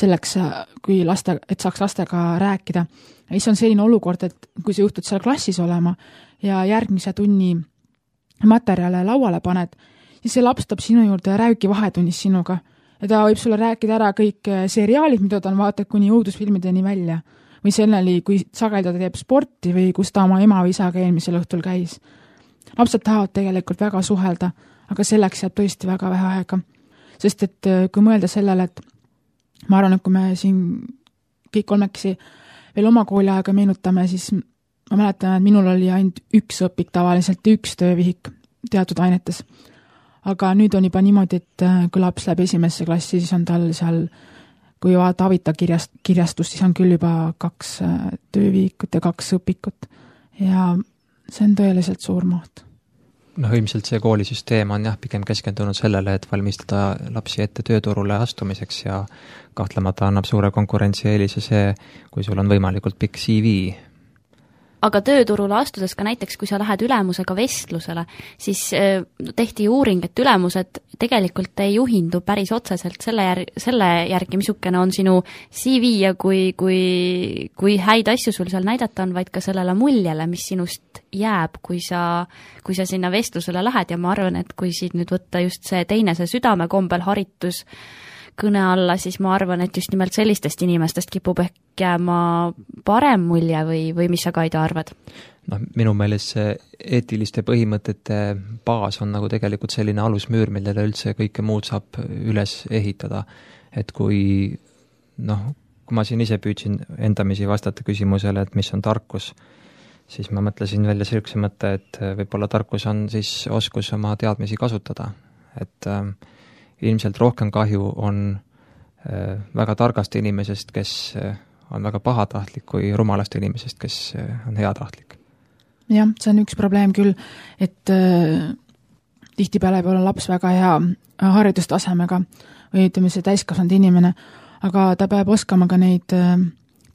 selleks, kui laste, et saaks lastega rääkida. Ja siis on selline olukord, et kui sa juhtud seal klassis olema ja järgmise tunni materjale lauale paned, siis see laps tab sinu juurde ja räägi vahetunnis sinuga. Ja ta võib sulle rääkida ära kõik seriaalid, mida ta on vaatanud kuni õudusfilmideni välja. või selleni, kui sageli ta teeb sporti või kus ta oma ema või isaga eelmisel õhtul käis. Lapsed tahavad tegelikult väga suhelda, aga selleks jääb tõesti väga vähe aega. Sest et kui mõelda sellele, et ma arvan, et kui me siin kõik kolmekesi veel oma kooliaega meenutame, siis ma mäletan, et minul oli ainult üks õpik tavaliselt, üks töövihik teatud ainetes. Aga nüüd on juba niimoodi, et kui laps läheb esimesse klassi, siis on tal seal, kui vaata avita kirjast, kirjastust, siis on küll juba kaks töövihikut ja kaks õpikut. Ja see on tõeliselt suur maht. noh, ilmselt see koolisüsteem on jah, pigem keskendunud sellele, et valmistada lapsi ette tööturule astumiseks ja kahtlemata annab suure konkurentsieelise see, kui sul on võimalikult pikk C V. Aga tööturule astudes ka näiteks, kui sa lähed ülemusega vestlusele, siis tehti uuring, et ülemused tegelikult ei juhindu päris otseselt selle, jär- selle järgi, missugune on sinu C V ja kui, kui, kui häid asju sul seal näidata on, vaid ka sellele muljele, mis sinust jääb, kui sa, kui sa sinna vestlusele lähed ja ma arvan, et kui siit nüüd võtta just see teine, see südamekombel haritus kõne alla, siis ma arvan, et just nimelt sellistest inimestest kipub ehk jääma parem mulje või, või mis sa, Kaido, arvad? No, minu meelest see eetiliste põhimõtete baas on nagu tegelikult selline alusmüür, millele üldse kõike muud saab üles ehitada. Et kui, noh, kui ma siin ise püüdsin endamisi vastata küsimusele, et mis on tarkus, siis ma mõtlesin välja sellise mõtte, et võib-olla tarkus on siis oskus oma teadmisi kasutada. Et äh, ilmselt rohkem kahju on äh, väga targast inimesest, kes äh, on väga pahatahtlik, kui rumalast inimesest, kes äh, on heatahtlik. Jah, see on üks probleem küll, et äh, tihtipeale peab olla laps väga hea haridustasemega või ütleme see täiskasvanud inimene, aga ta peab oskama ka neid äh,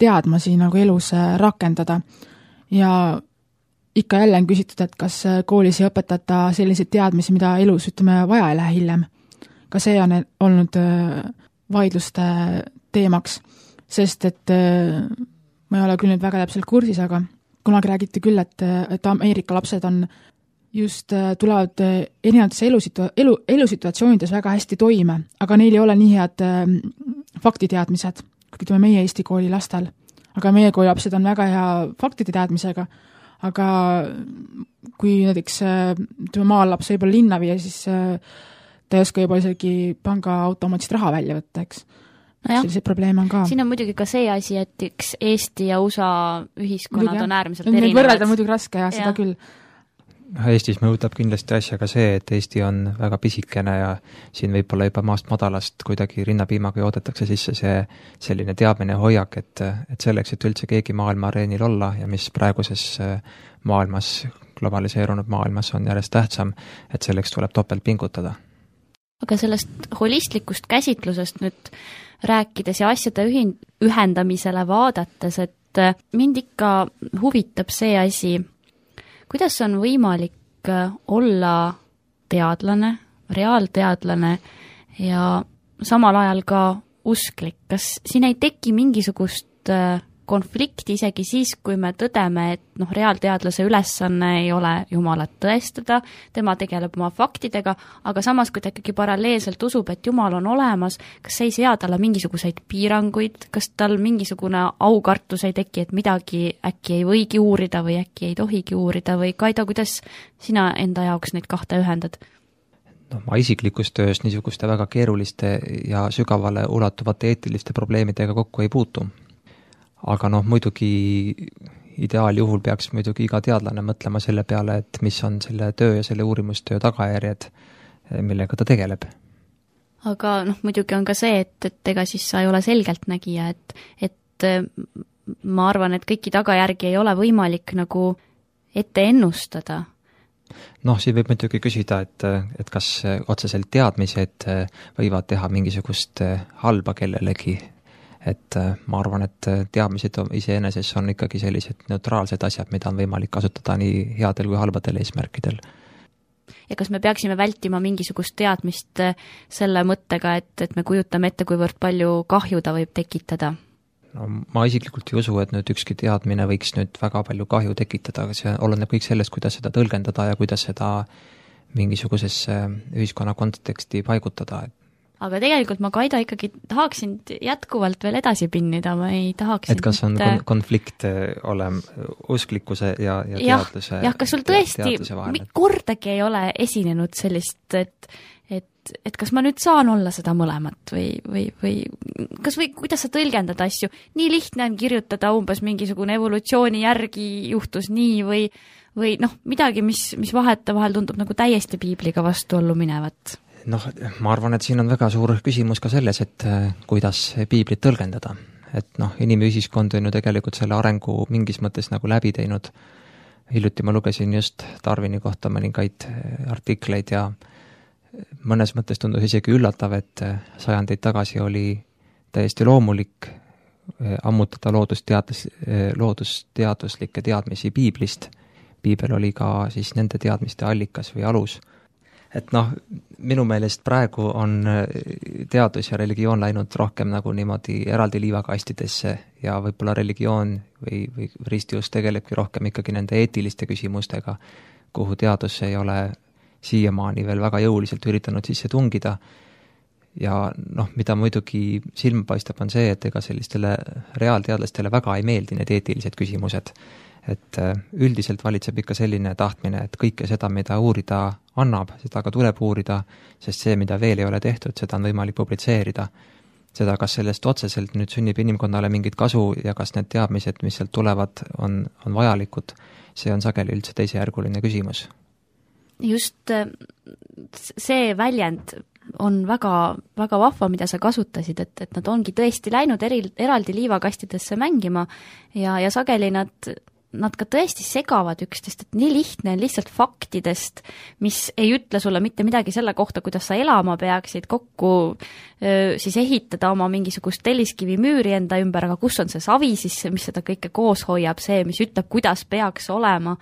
teadmasi nagu elus äh, rakendada. Ja ikka jälle on küsitud, et kas koolis ei õpetata selliseid teadmisi, mida elus ütleme vaja ei lähe hiljem. Ka see on olnud vaidluste teemaks, sest et ma ei ole küll nüüd väga täpselt kursis, aga kunagi räägiti küll, et, et Ameerika lapsed on just tulevad erinevates elusitua- elu, elusituatsioonides väga hästi toime, aga neil ei ole nii head faktiteadmised, kui ütleme meie Eesti kooli lastel. Aga meie kooli lapsed on väga hea faktide teadmisega, aga kui näiteks ütleme maal laps võib-olla linna viia, siis ta ei oska juba isegi panga automaatist raha välja võtta, eks. No selliseid probleeme on ka. Siin on muidugi ka see asi, et üks Eesti ja U S A ühiskonnad muidugi, on äärmiselt erinevad. Neid võrrelda muidugi raske ja, ja seda küll. Eestis mõjutab kindlasti asja ka see, et Eesti on väga pisikene ja siin võib-olla juba maast madalast kuidagi rinnapiimaga joodetakse sisse see selline teadmine hoiak, et, et selleks, et üldse keegi maailma areenil olla ja mis praeguses maailmas, globaliseerunud maailmas on järjest tähtsam, et selleks tuleb topelt pingutada. Aga sellest holistlikust käsitlusest nüüd rääkides ja asjade ühin- ühendamisele vaadates, et mind ikka huvitab see asi, kuidas on võimalik olla teadlane, reaalteadlane ja samal ajal ka usklik. Kas siin ei teki mingisugust konflikti isegi siis, kui me tõdeme, et noh, reaalteadlase ülesanne ei ole Jumalat tõestada, tema tegeleb oma faktidega, aga samas, kui ta ikkagi paralleelselt usub, et Jumal on olemas, kas see ei sea talle mingisuguseid piiranguid, kas tal mingisugune aukartus ei teki, et midagi äkki ei võigi uurida või äkki ei tohigi uurida või Kaido, kuidas sina enda jaoks neid kahte ühendad? No, ma isiklikus töös niisuguste väga keeruliste ja sügavale ulatuvate eetiliste probleemidega kokku ei puutu. Aga noh, muidugi ideaaljuhul peaks muidugi iga teadlane mõtlema selle peale, et mis on selle töö ja selle uurimustöö tagajärjed, millega ta tegeleb. Aga noh, muidugi on ka see, et, et ega siis sa ei ole selgeltnägija, et, et ma arvan, et kõiki tagajärgi ei ole võimalik nagu ette ennustada. Noh, siin võib muidugi küsida, et, et kas otseselt teadmised võivad teha mingisugust halba kellelegi. Et ma arvan, et teadmised iseeneses on ikkagi sellised neutraalsed asjad, mida on võimalik kasutada nii headel kui halbadel eesmärkidel. Ja kas me peaksime vältima mingisugust teadmist selle mõttega, et, et me kujutame ette, kuivõrd palju kahju ta võib tekitada? No, ma isiklikult ei usu, et nüüd ükski teadmine võiks nüüd väga palju kahju tekitada, aga see oleneb kõik sellest, kuidas seda tõlgendada ja kuidas seda mingisugusesse ühiskonna konteksti paigutada. aga tegelikult ma, Kaido, ikkagi tahaksin jätkuvalt veel edasi pinnida, ma ei tahaks et kas on kon- konflikt olem usklikkuse ja, ja teadluse jah, kas sul tõesti kordagi ei ole esinenud sellist, et, et, et kas ma nüüd saan olla seda mõlemat või, või, või kas või kuidas sa tõlgendad asju, nii lihtne on kirjutada umbes mingisugune evolutsiooni järgi juhtus nii või, või noh, midagi, mis, mis vahetevahel tundub nagu täiesti piibliga vastuollu minevat? Noh, ma arvan, et siin on väga suur küsimus ka selles, et kuidas piiblit tõlgendada. Et noh, inimühiskond on ju tegelikult selle arengu mingis mõttes nagu läbi teinud. Hiljuti ma lugesin just Darwini kohta mõningaid artikleid ja mõnes mõttes tundus isegi üllatav, et sajandeid tagasi oli täiesti loomulik ammutada loodusteadus, loodusteaduslikke teadmisi piiblist. Piibel oli ka siis nende teadmiste allikas või alus. Et noh, minu meelest praegu on teadus ja religioon läinud rohkem nagu niimoodi eraldi liivakastidesse ja võib-olla religioon või, või ristius tegelebki rohkem ikkagi nende eetiliste küsimustega, kuhu teadus ei ole siiamaani veel väga jõuliselt üritanud sisse tungida. Ja noh, mida muidugi silma paistab on see, et ega sellistele reaalteadlastele väga ei meeldi need eetilised küsimused. Et üldiselt valitseb ikka selline tahtmine, et kõike seda, mida uurida annab, seda ka tuleb uurida, sest see, mida veel ei ole tehtud, seda on võimalik publitseerida. Seda, kas sellest otseselt nüüd sünnib inimkonnale mingit kasu ja kas need teadmised, mis sealt tulevad, on, on vajalikud, see on sageli üldse teisejärguline küsimus. Just see väljend on väga, väga vahva, mida sa kasutasid, et, et nad ongi tõesti läinud eri, eraldi liivakastidesse mängima ja, ja sageli nad nad ka tõesti segavad üksteist, et nii lihtne on lihtsalt faktidest, mis ei ütle sulle mitte midagi selle kohta, kuidas sa elama peaksid, kokku öö, siis ehitada oma mingisugust telliskivi müüri enda ümber, aga kus on see savi siis, mis seda kõike koos hoiab, see, mis ütleb, kuidas peaks olema,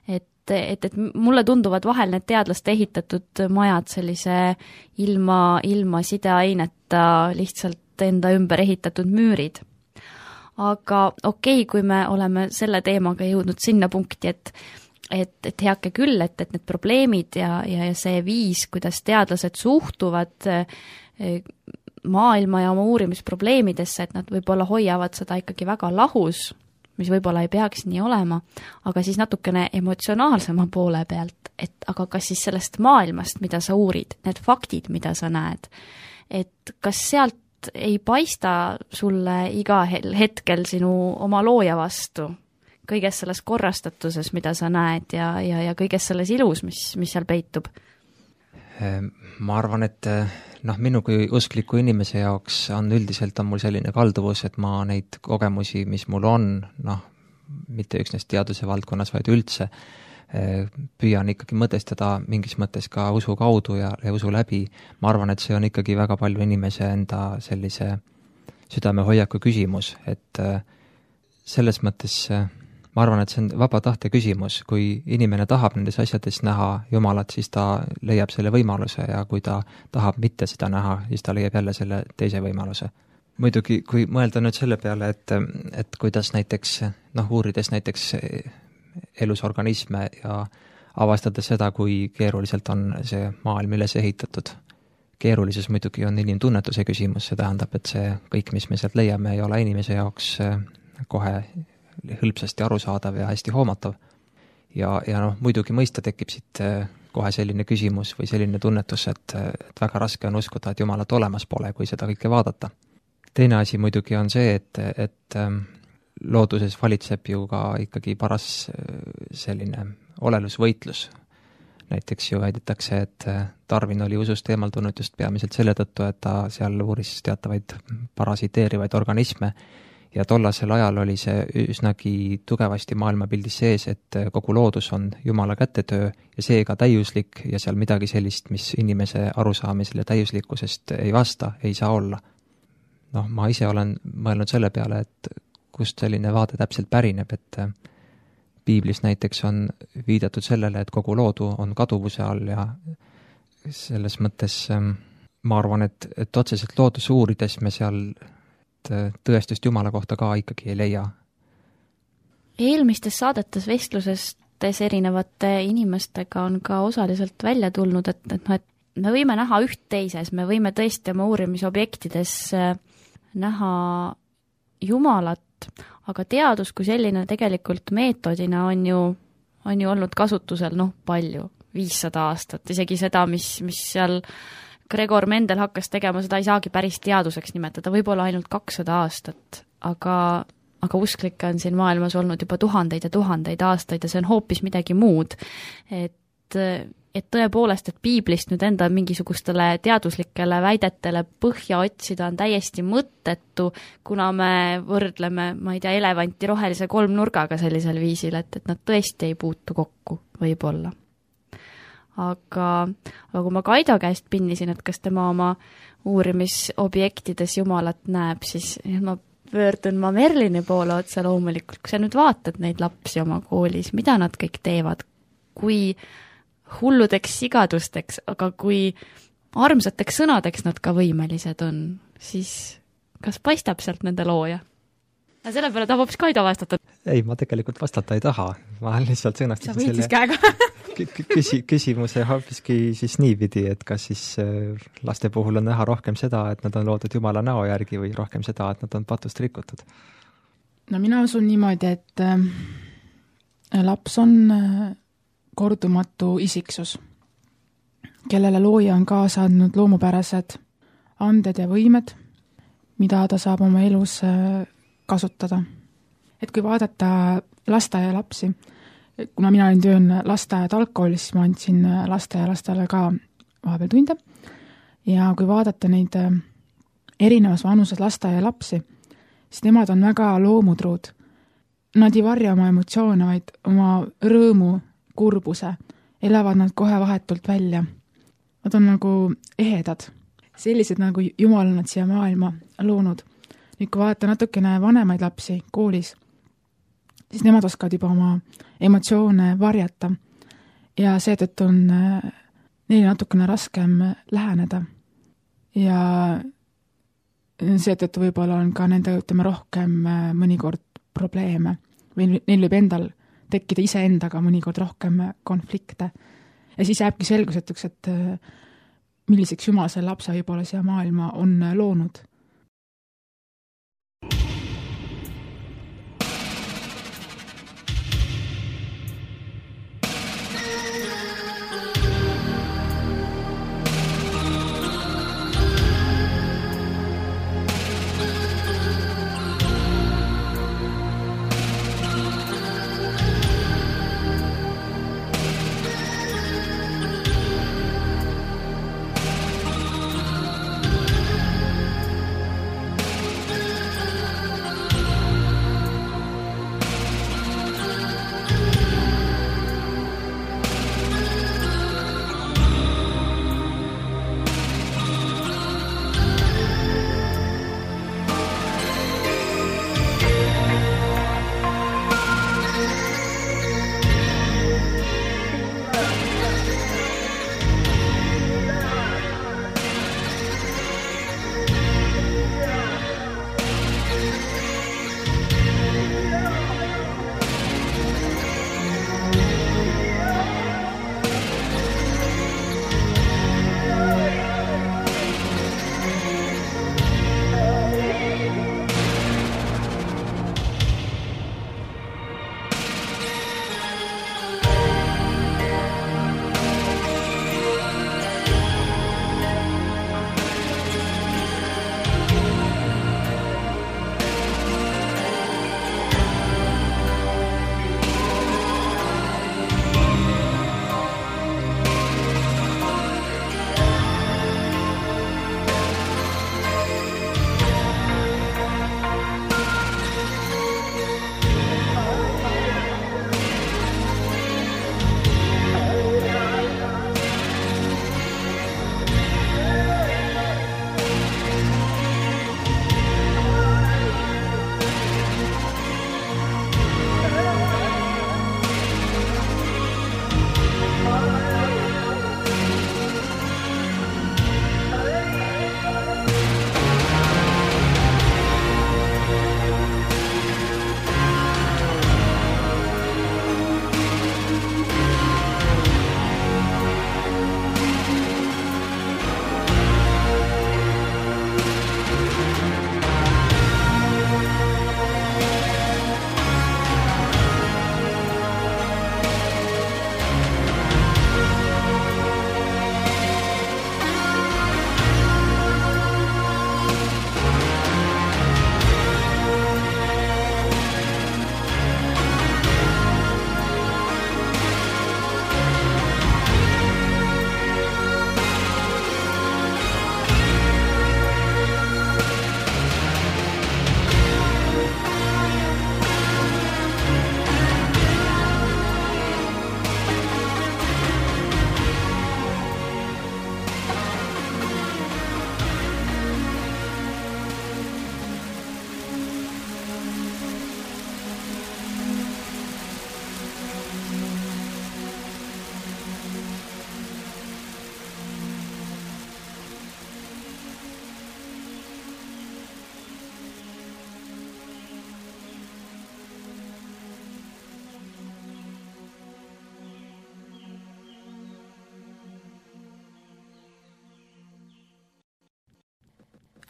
et et, et mulle tunduvad vahel need teadlaste ehitatud majad sellise ilma, ilma sideaineta lihtsalt enda ümber ehitatud müürid. Aga okei, okay, kui me oleme selle teemaga jõudnud sinna punkti, et, et, et heake küll, et, et need probleemid ja, ja see viis, kuidas teadlased suhtuvad maailma ja oma uurimisprobleemidesse, et nad võib-olla hoiavad seda ikkagi väga lahus, mis võib-olla ei peaks nii olema, aga siis natukene emotsionaalsema poole pealt, et aga kas siis sellest maailmast, mida sa uurid, need faktid, mida sa näed, et kas sealt ei paista sulle iga hetkel sinu oma looja vastu, kõiges selles korrastatuses, mida sa näed ja, ja, ja kõiges selles ilus, mis, mis seal peitub? Ma arvan, et noh, minu kui uskliku inimese jaoks on üldiselt on mul selline kalduvus, et ma neid kogemusi, mis mul on, noh, mitte üksnes teaduse valdkonnas, vaid üldse, püüan ikkagi mõtestada mingis mõttes ka usu kaudu ja, ja usu läbi. Ma arvan, et see on ikkagi väga palju inimese enda sellise südamehoiaku küsimus, et selles mõttes ma arvan, et see on vaba tahte küsimus. Kui inimene tahab nendes asjades näha Jumalat, siis ta leiab selle võimaluse ja kui ta tahab mitte seda näha, siis ta leiab jälle selle teise võimaluse. Muidugi, kui mõelda nüüd selle peale, et, et kuidas näiteks, noh, uurides näiteks elusorganisme ja avastades seda, kui keeruliselt on see maailm üles ehitatud. Keerulisus muidugi on inimtunnetuse küsimus, see tähendab, et see kõik, mis me sealt leiame, ei ole inimese jaoks kohe hõlpsasti arusaadav ja hästi hoomatav. Ja, ja noh, muidugi mõista tekib siit kohe selline küsimus või selline tunnetus, et, et väga raske on uskuda, et Jumalat olemas pole, kui seda kõike vaadata. Teine asi muidugi on see, et, et looduses valitseb ju ka ikkagi paras selline olelusvõitlus. Näiteks ju väidetakse, et Darwin oli usust eemaldunud just peamiselt selle tõttu, et ta seal uuris teatavaid parasiteerivaid organisme ja tollasel ajal oli see üsnagi tugevasti maailmapildis sees, et kogu loodus on Jumala kätetöö ja seega täiuslik ja seal midagi sellist, mis inimese arusaamisele täiuslikkusest ei vasta, ei saa olla. Noh, ma ise olen mõelnud selle peale, et kust selline vaade täpselt pärineb, et piiblis näiteks on viidatud sellele, et kogu loodu on kaduvuse all ja selles mõttes ma arvan, et, et otseselt looduse uurides me seal tõestust Jumala kohta ka ikkagi ei leia. Eelmistes saadetes vestlusestes erinevate inimestega on ka osaliselt välja tulnud, et, et, et me võime näha üht teises, me võime tõesti oma uurimisobjektides näha Jumalat, aga teadus kui selline tegelikult meetodina on ju, on ju olnud kasutusel noh, palju, viissada aastat, isegi seda, mis, mis seal Gregor Mendel hakkas tegema, seda ei saagi päris teaduseks nimetada, võib-olla ainult kakssada aastat, aga, aga usklikke on siin maailmas olnud juba tuhandeid ja tuhandeid aastaid ja see on hoopis midagi muud. Et, et tõepoolest, et piiblist nüüd enda mingisugustele teaduslikele väidetele põhja otsida on täiesti mõttetu, kuna me võrdleme, ma ei tea, elevanti rohelise kolmnurgaga sellisel viisil, et, et nad tõesti ei puutu kokku, võib-olla. Aga, aga kui ma Kaido käest pinnisin, et kas tema oma uurimisobjektides Jumalat näeb, siis ma pöördun ma Merlini poole otse loomulikult, kui sa nüüd vaatad neid lapsi oma koolis, mida nad kõik teevad, kui hulludeks sigadusteks, aga kui armsateks sõnadeks nad ka võimelised on, siis kas paistab sealt nende looja? Ja selle peale tahab hoopis Kaido vastata. Ei, ma tegelikult vastata ei taha. Ma lihtsalt sõnastasin selle... Sa võitis käega. Küsi, küsimuse hoopiski siis niipidi, et kas siis laste puhul on näha rohkem seda, et nad on loodud Jumala näo järgi või rohkem seda, et nad on patust rikutud? No mina usun niimoodi, et laps on kordumatu isiksus, kellele looja on kaasa andnud loomupärased anded ja võimed, mida ta saab oma elus kasutada. Et kui vaadata lasteaia lapsi, kuna mina olin töön lasteaia algkoolis, siis ma andsin lasteaia lastele ka vahepeal tunde. Ja kui vaadata neid erinevas vanuses lasteaia lapsi, siis nemad on väga loomutruud. Nad ei varja oma emotsioone, vaid oma rõõmu, kurbuse, elavad nad kohe vahetult välja. Nad on nagu ehedad. Sellised nagu Jumal on nad siia maailma loonud. Nüüd kui vaadata natukene vanemaid lapsi koolis, siis nemad oskavad juba oma emotsioone varjata ja seetõttu on neile natukene raskem läheneda. Ja seetõttu võib-olla on ka nende ütleme rohkem mõnikord probleeme või neil võib endal tekkida iseendaga mõnikord rohkem konflikte. Ja siis jääbki selgusetuks, et milliseks Jumal selle lapse võib-olla siia maailma on loonud.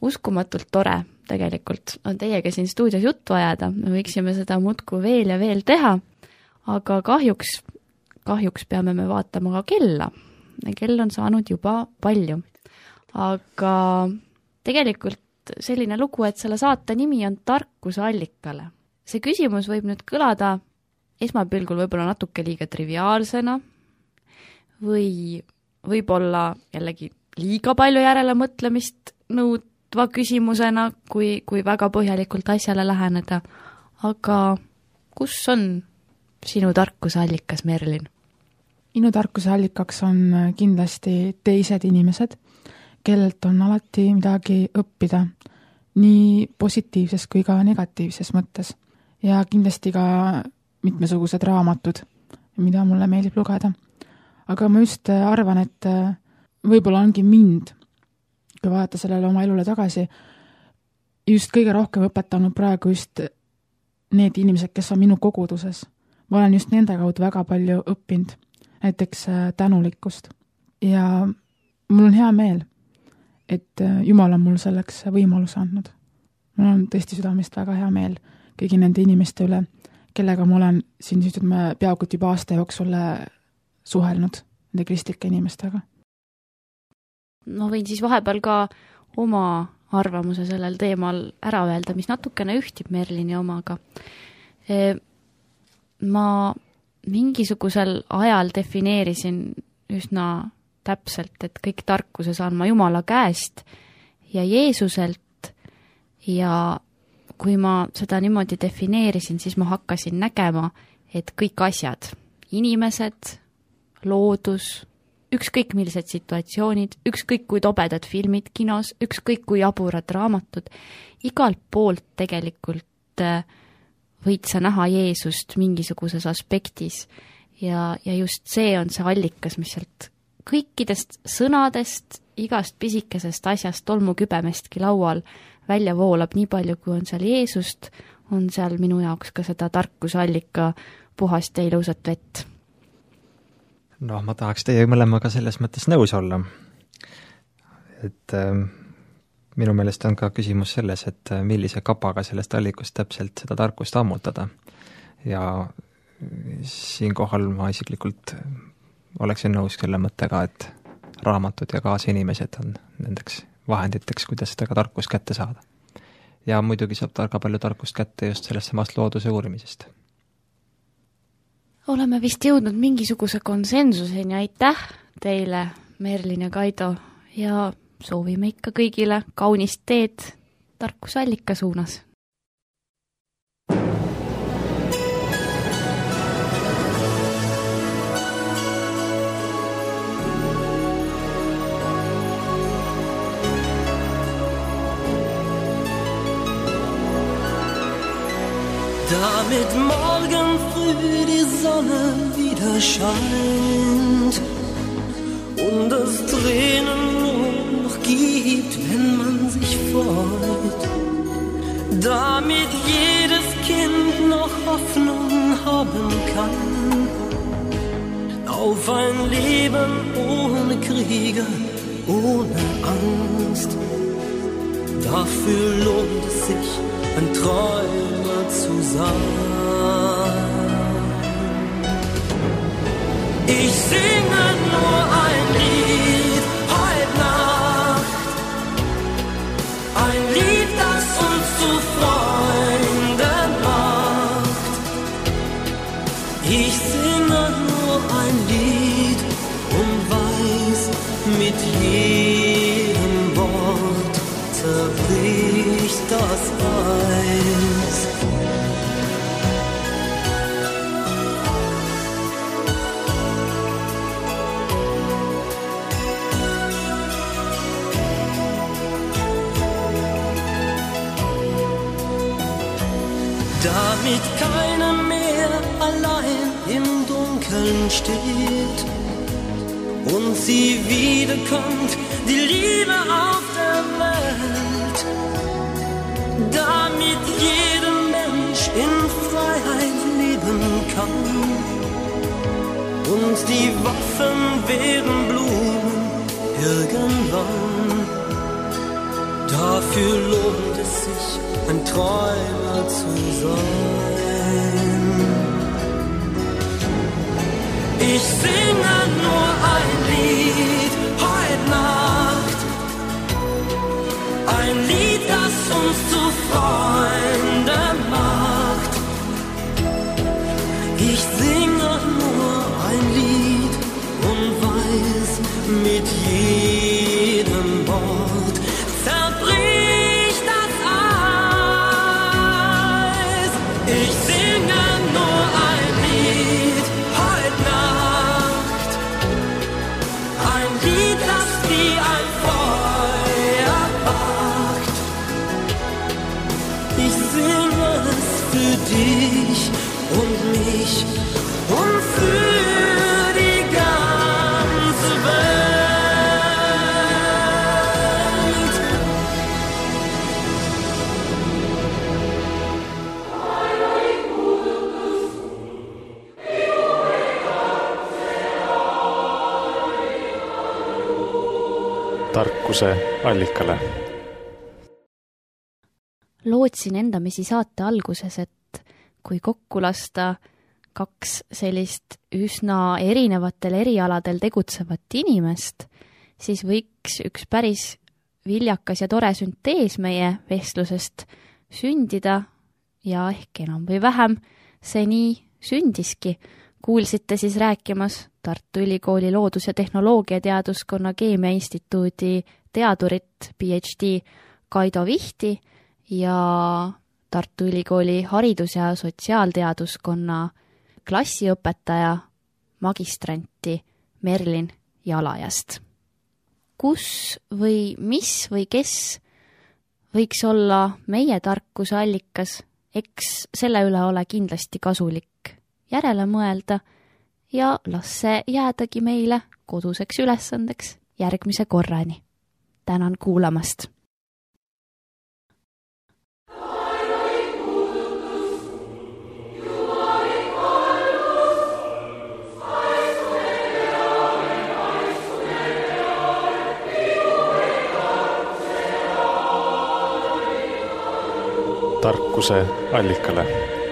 uskumatult tore tegelikult on teiega siin stuudios juttu ajada, me võiksime seda muudkui veel ja veel teha, aga kahjuks, kahjuks peame me vaatama ka kella. Kell on saanud juba palju. Aga tegelikult selline lugu, et selle saate nimi on Tarkuse allikale. See küsimus võib nüüd kõlada esmapilgul võib-olla natuke liiga triviaalsena või võib-olla jällegi liiga palju järele mõtlemist nõudva küsimusena, kui, kui väga põhjalikult asjale läheneda. Aga kus on sinu tarkuse allikas, Merlin? Minu tarkuse allikaks on kindlasti teised inimesed, kellelt on alati midagi õppida, nii positiivses kui ka negatiivses mõttes. Ja kindlasti ka mitmesugused raamatud, mida mulle meeldib lugeda. Aga ma just arvan, et võib-olla ongi mind, kui vaadata sellele oma elule tagasi, just kõige rohkem õpetanud praegu just need inimesed, kes on minu koguduses. Ma olen just nende kaudu väga palju õppinud, näiteks tänulikkust. Ja mul on hea meel, et Jumal on mul selleks võimaluse andnud. Mul on tõesti südamest väga hea meel kõigi nende inimeste üle, kellega ma olen siin peaaegu juba aasta jooksul suhelnud nende kristlike inimestega. Ma võin siis vahepeal ka oma arvamuse sellel teemal ära öelda, mis natukene ühtib Merlini omaga. Ma mingisugusel ajal defineerisin üsna täpselt, et kõik tarkuse saan ma Jumala käest ja Jeesuselt ja kui ma seda niimoodi defineerisin, siis ma hakkasin nägema, et kõik asjad, inimesed, loodus, ükskõik millised situatsioonid, ükskõik kui tobedad filmid kinos, ükskõik kui jaburad raamatud, igalt poolt tegelikult võid sa näha Jeesust mingisuguses aspektis ja, ja just see on see allikas, mis sealt kõikidest sõnadest, igast pisikesest asjast, tolmukübemestki laual välja voolab nii palju, kui on seal Jeesust, on seal minu jaoks ka seda tarkuse allika puhast ja ilusat vett. No ma tahaks teie mõlemaga selles mõttes nõus olla. Et äh, minu meelest on ka küsimus selles, et millise kapaga sellest allikust täpselt seda tarkust ammutada. Ja siinkohal ma isiklikult oleksin nõus selle mõttega, et raamatud ja kaasinimesed on nendeks vahenditeks, kuidas seda ka tarkust kätte saada. Ja muidugi saab targa palju tarkust kätte just sellest samast looduse uurimisest. Oleme vist jõudnud mingisuguse konsensuseni, aitäh teile, Merlin ja Kaido, ja soovime ikka kõigile kaunist teed tarkuse allika suunas. Damit morgen früh die Sonne wieder scheint und es Tränen nur noch gibt, wenn man sich freut, damit jedes Kind noch Hoffnung haben kann auf ein Leben ohne Kriege, ohne Angst. Dafür lohnt es sich, ein Träumer zu sein. Ich singe nur ein Lied heute Nacht, ein Lied, das uns zu Freunden macht. Ich singe nur ein Lied und weiß, mit jedem Wort zerbricht das Eis. Damit keiner mehr allein im Dunkeln steht und sie wiederkommt, die Liebe auf der Welt. Damit jeder Mensch in Freiheit leben kann und die Waffen werden Blumen irgendwann. Dafür Wofür lohnt es sich, ein Träumer zu sein? Ich singe nur ein Lied heute Nacht, ein Lied, das uns zu Freunde macht. Ich singe nur ein Lied und weiß, mit jedem Wort zerbricht das Eis. Ich singe nur ein Lied heute Nacht, ein Lied, das wie ein Feuer wacht. Ich singe es für dich und mich und für die ganze Welt. Tarkuse allikale. Lootsin endamisi saate alguses, et kui kokku lasta kaks sellist üsna erinevatel erialadel tegutsevat inimest, siis võiks üks päris viljakas ja tore süntees meie vestlusest sündida ja ehk enam või vähem see nii sündiski. Kuulsite siis rääkimas Tartu Ülikooli Loodus- ja Tehnoloogiateaduskonna Keemiainstituudi teadurit P H D Kaido Vihti ja Tartu Ülikooli haridus- ja sotsiaalteaduskonna klassiõpetaja magistranti Merlin Jalajast. Kus või mis või kes võiks olla meie tarkuse allikas, eks selle üle ole kindlasti kasulik järele mõelda ja las see jäädagi meile koduseks ülesandeks järgmise korrani. Tänan kuulamast! Tarkuse allikale.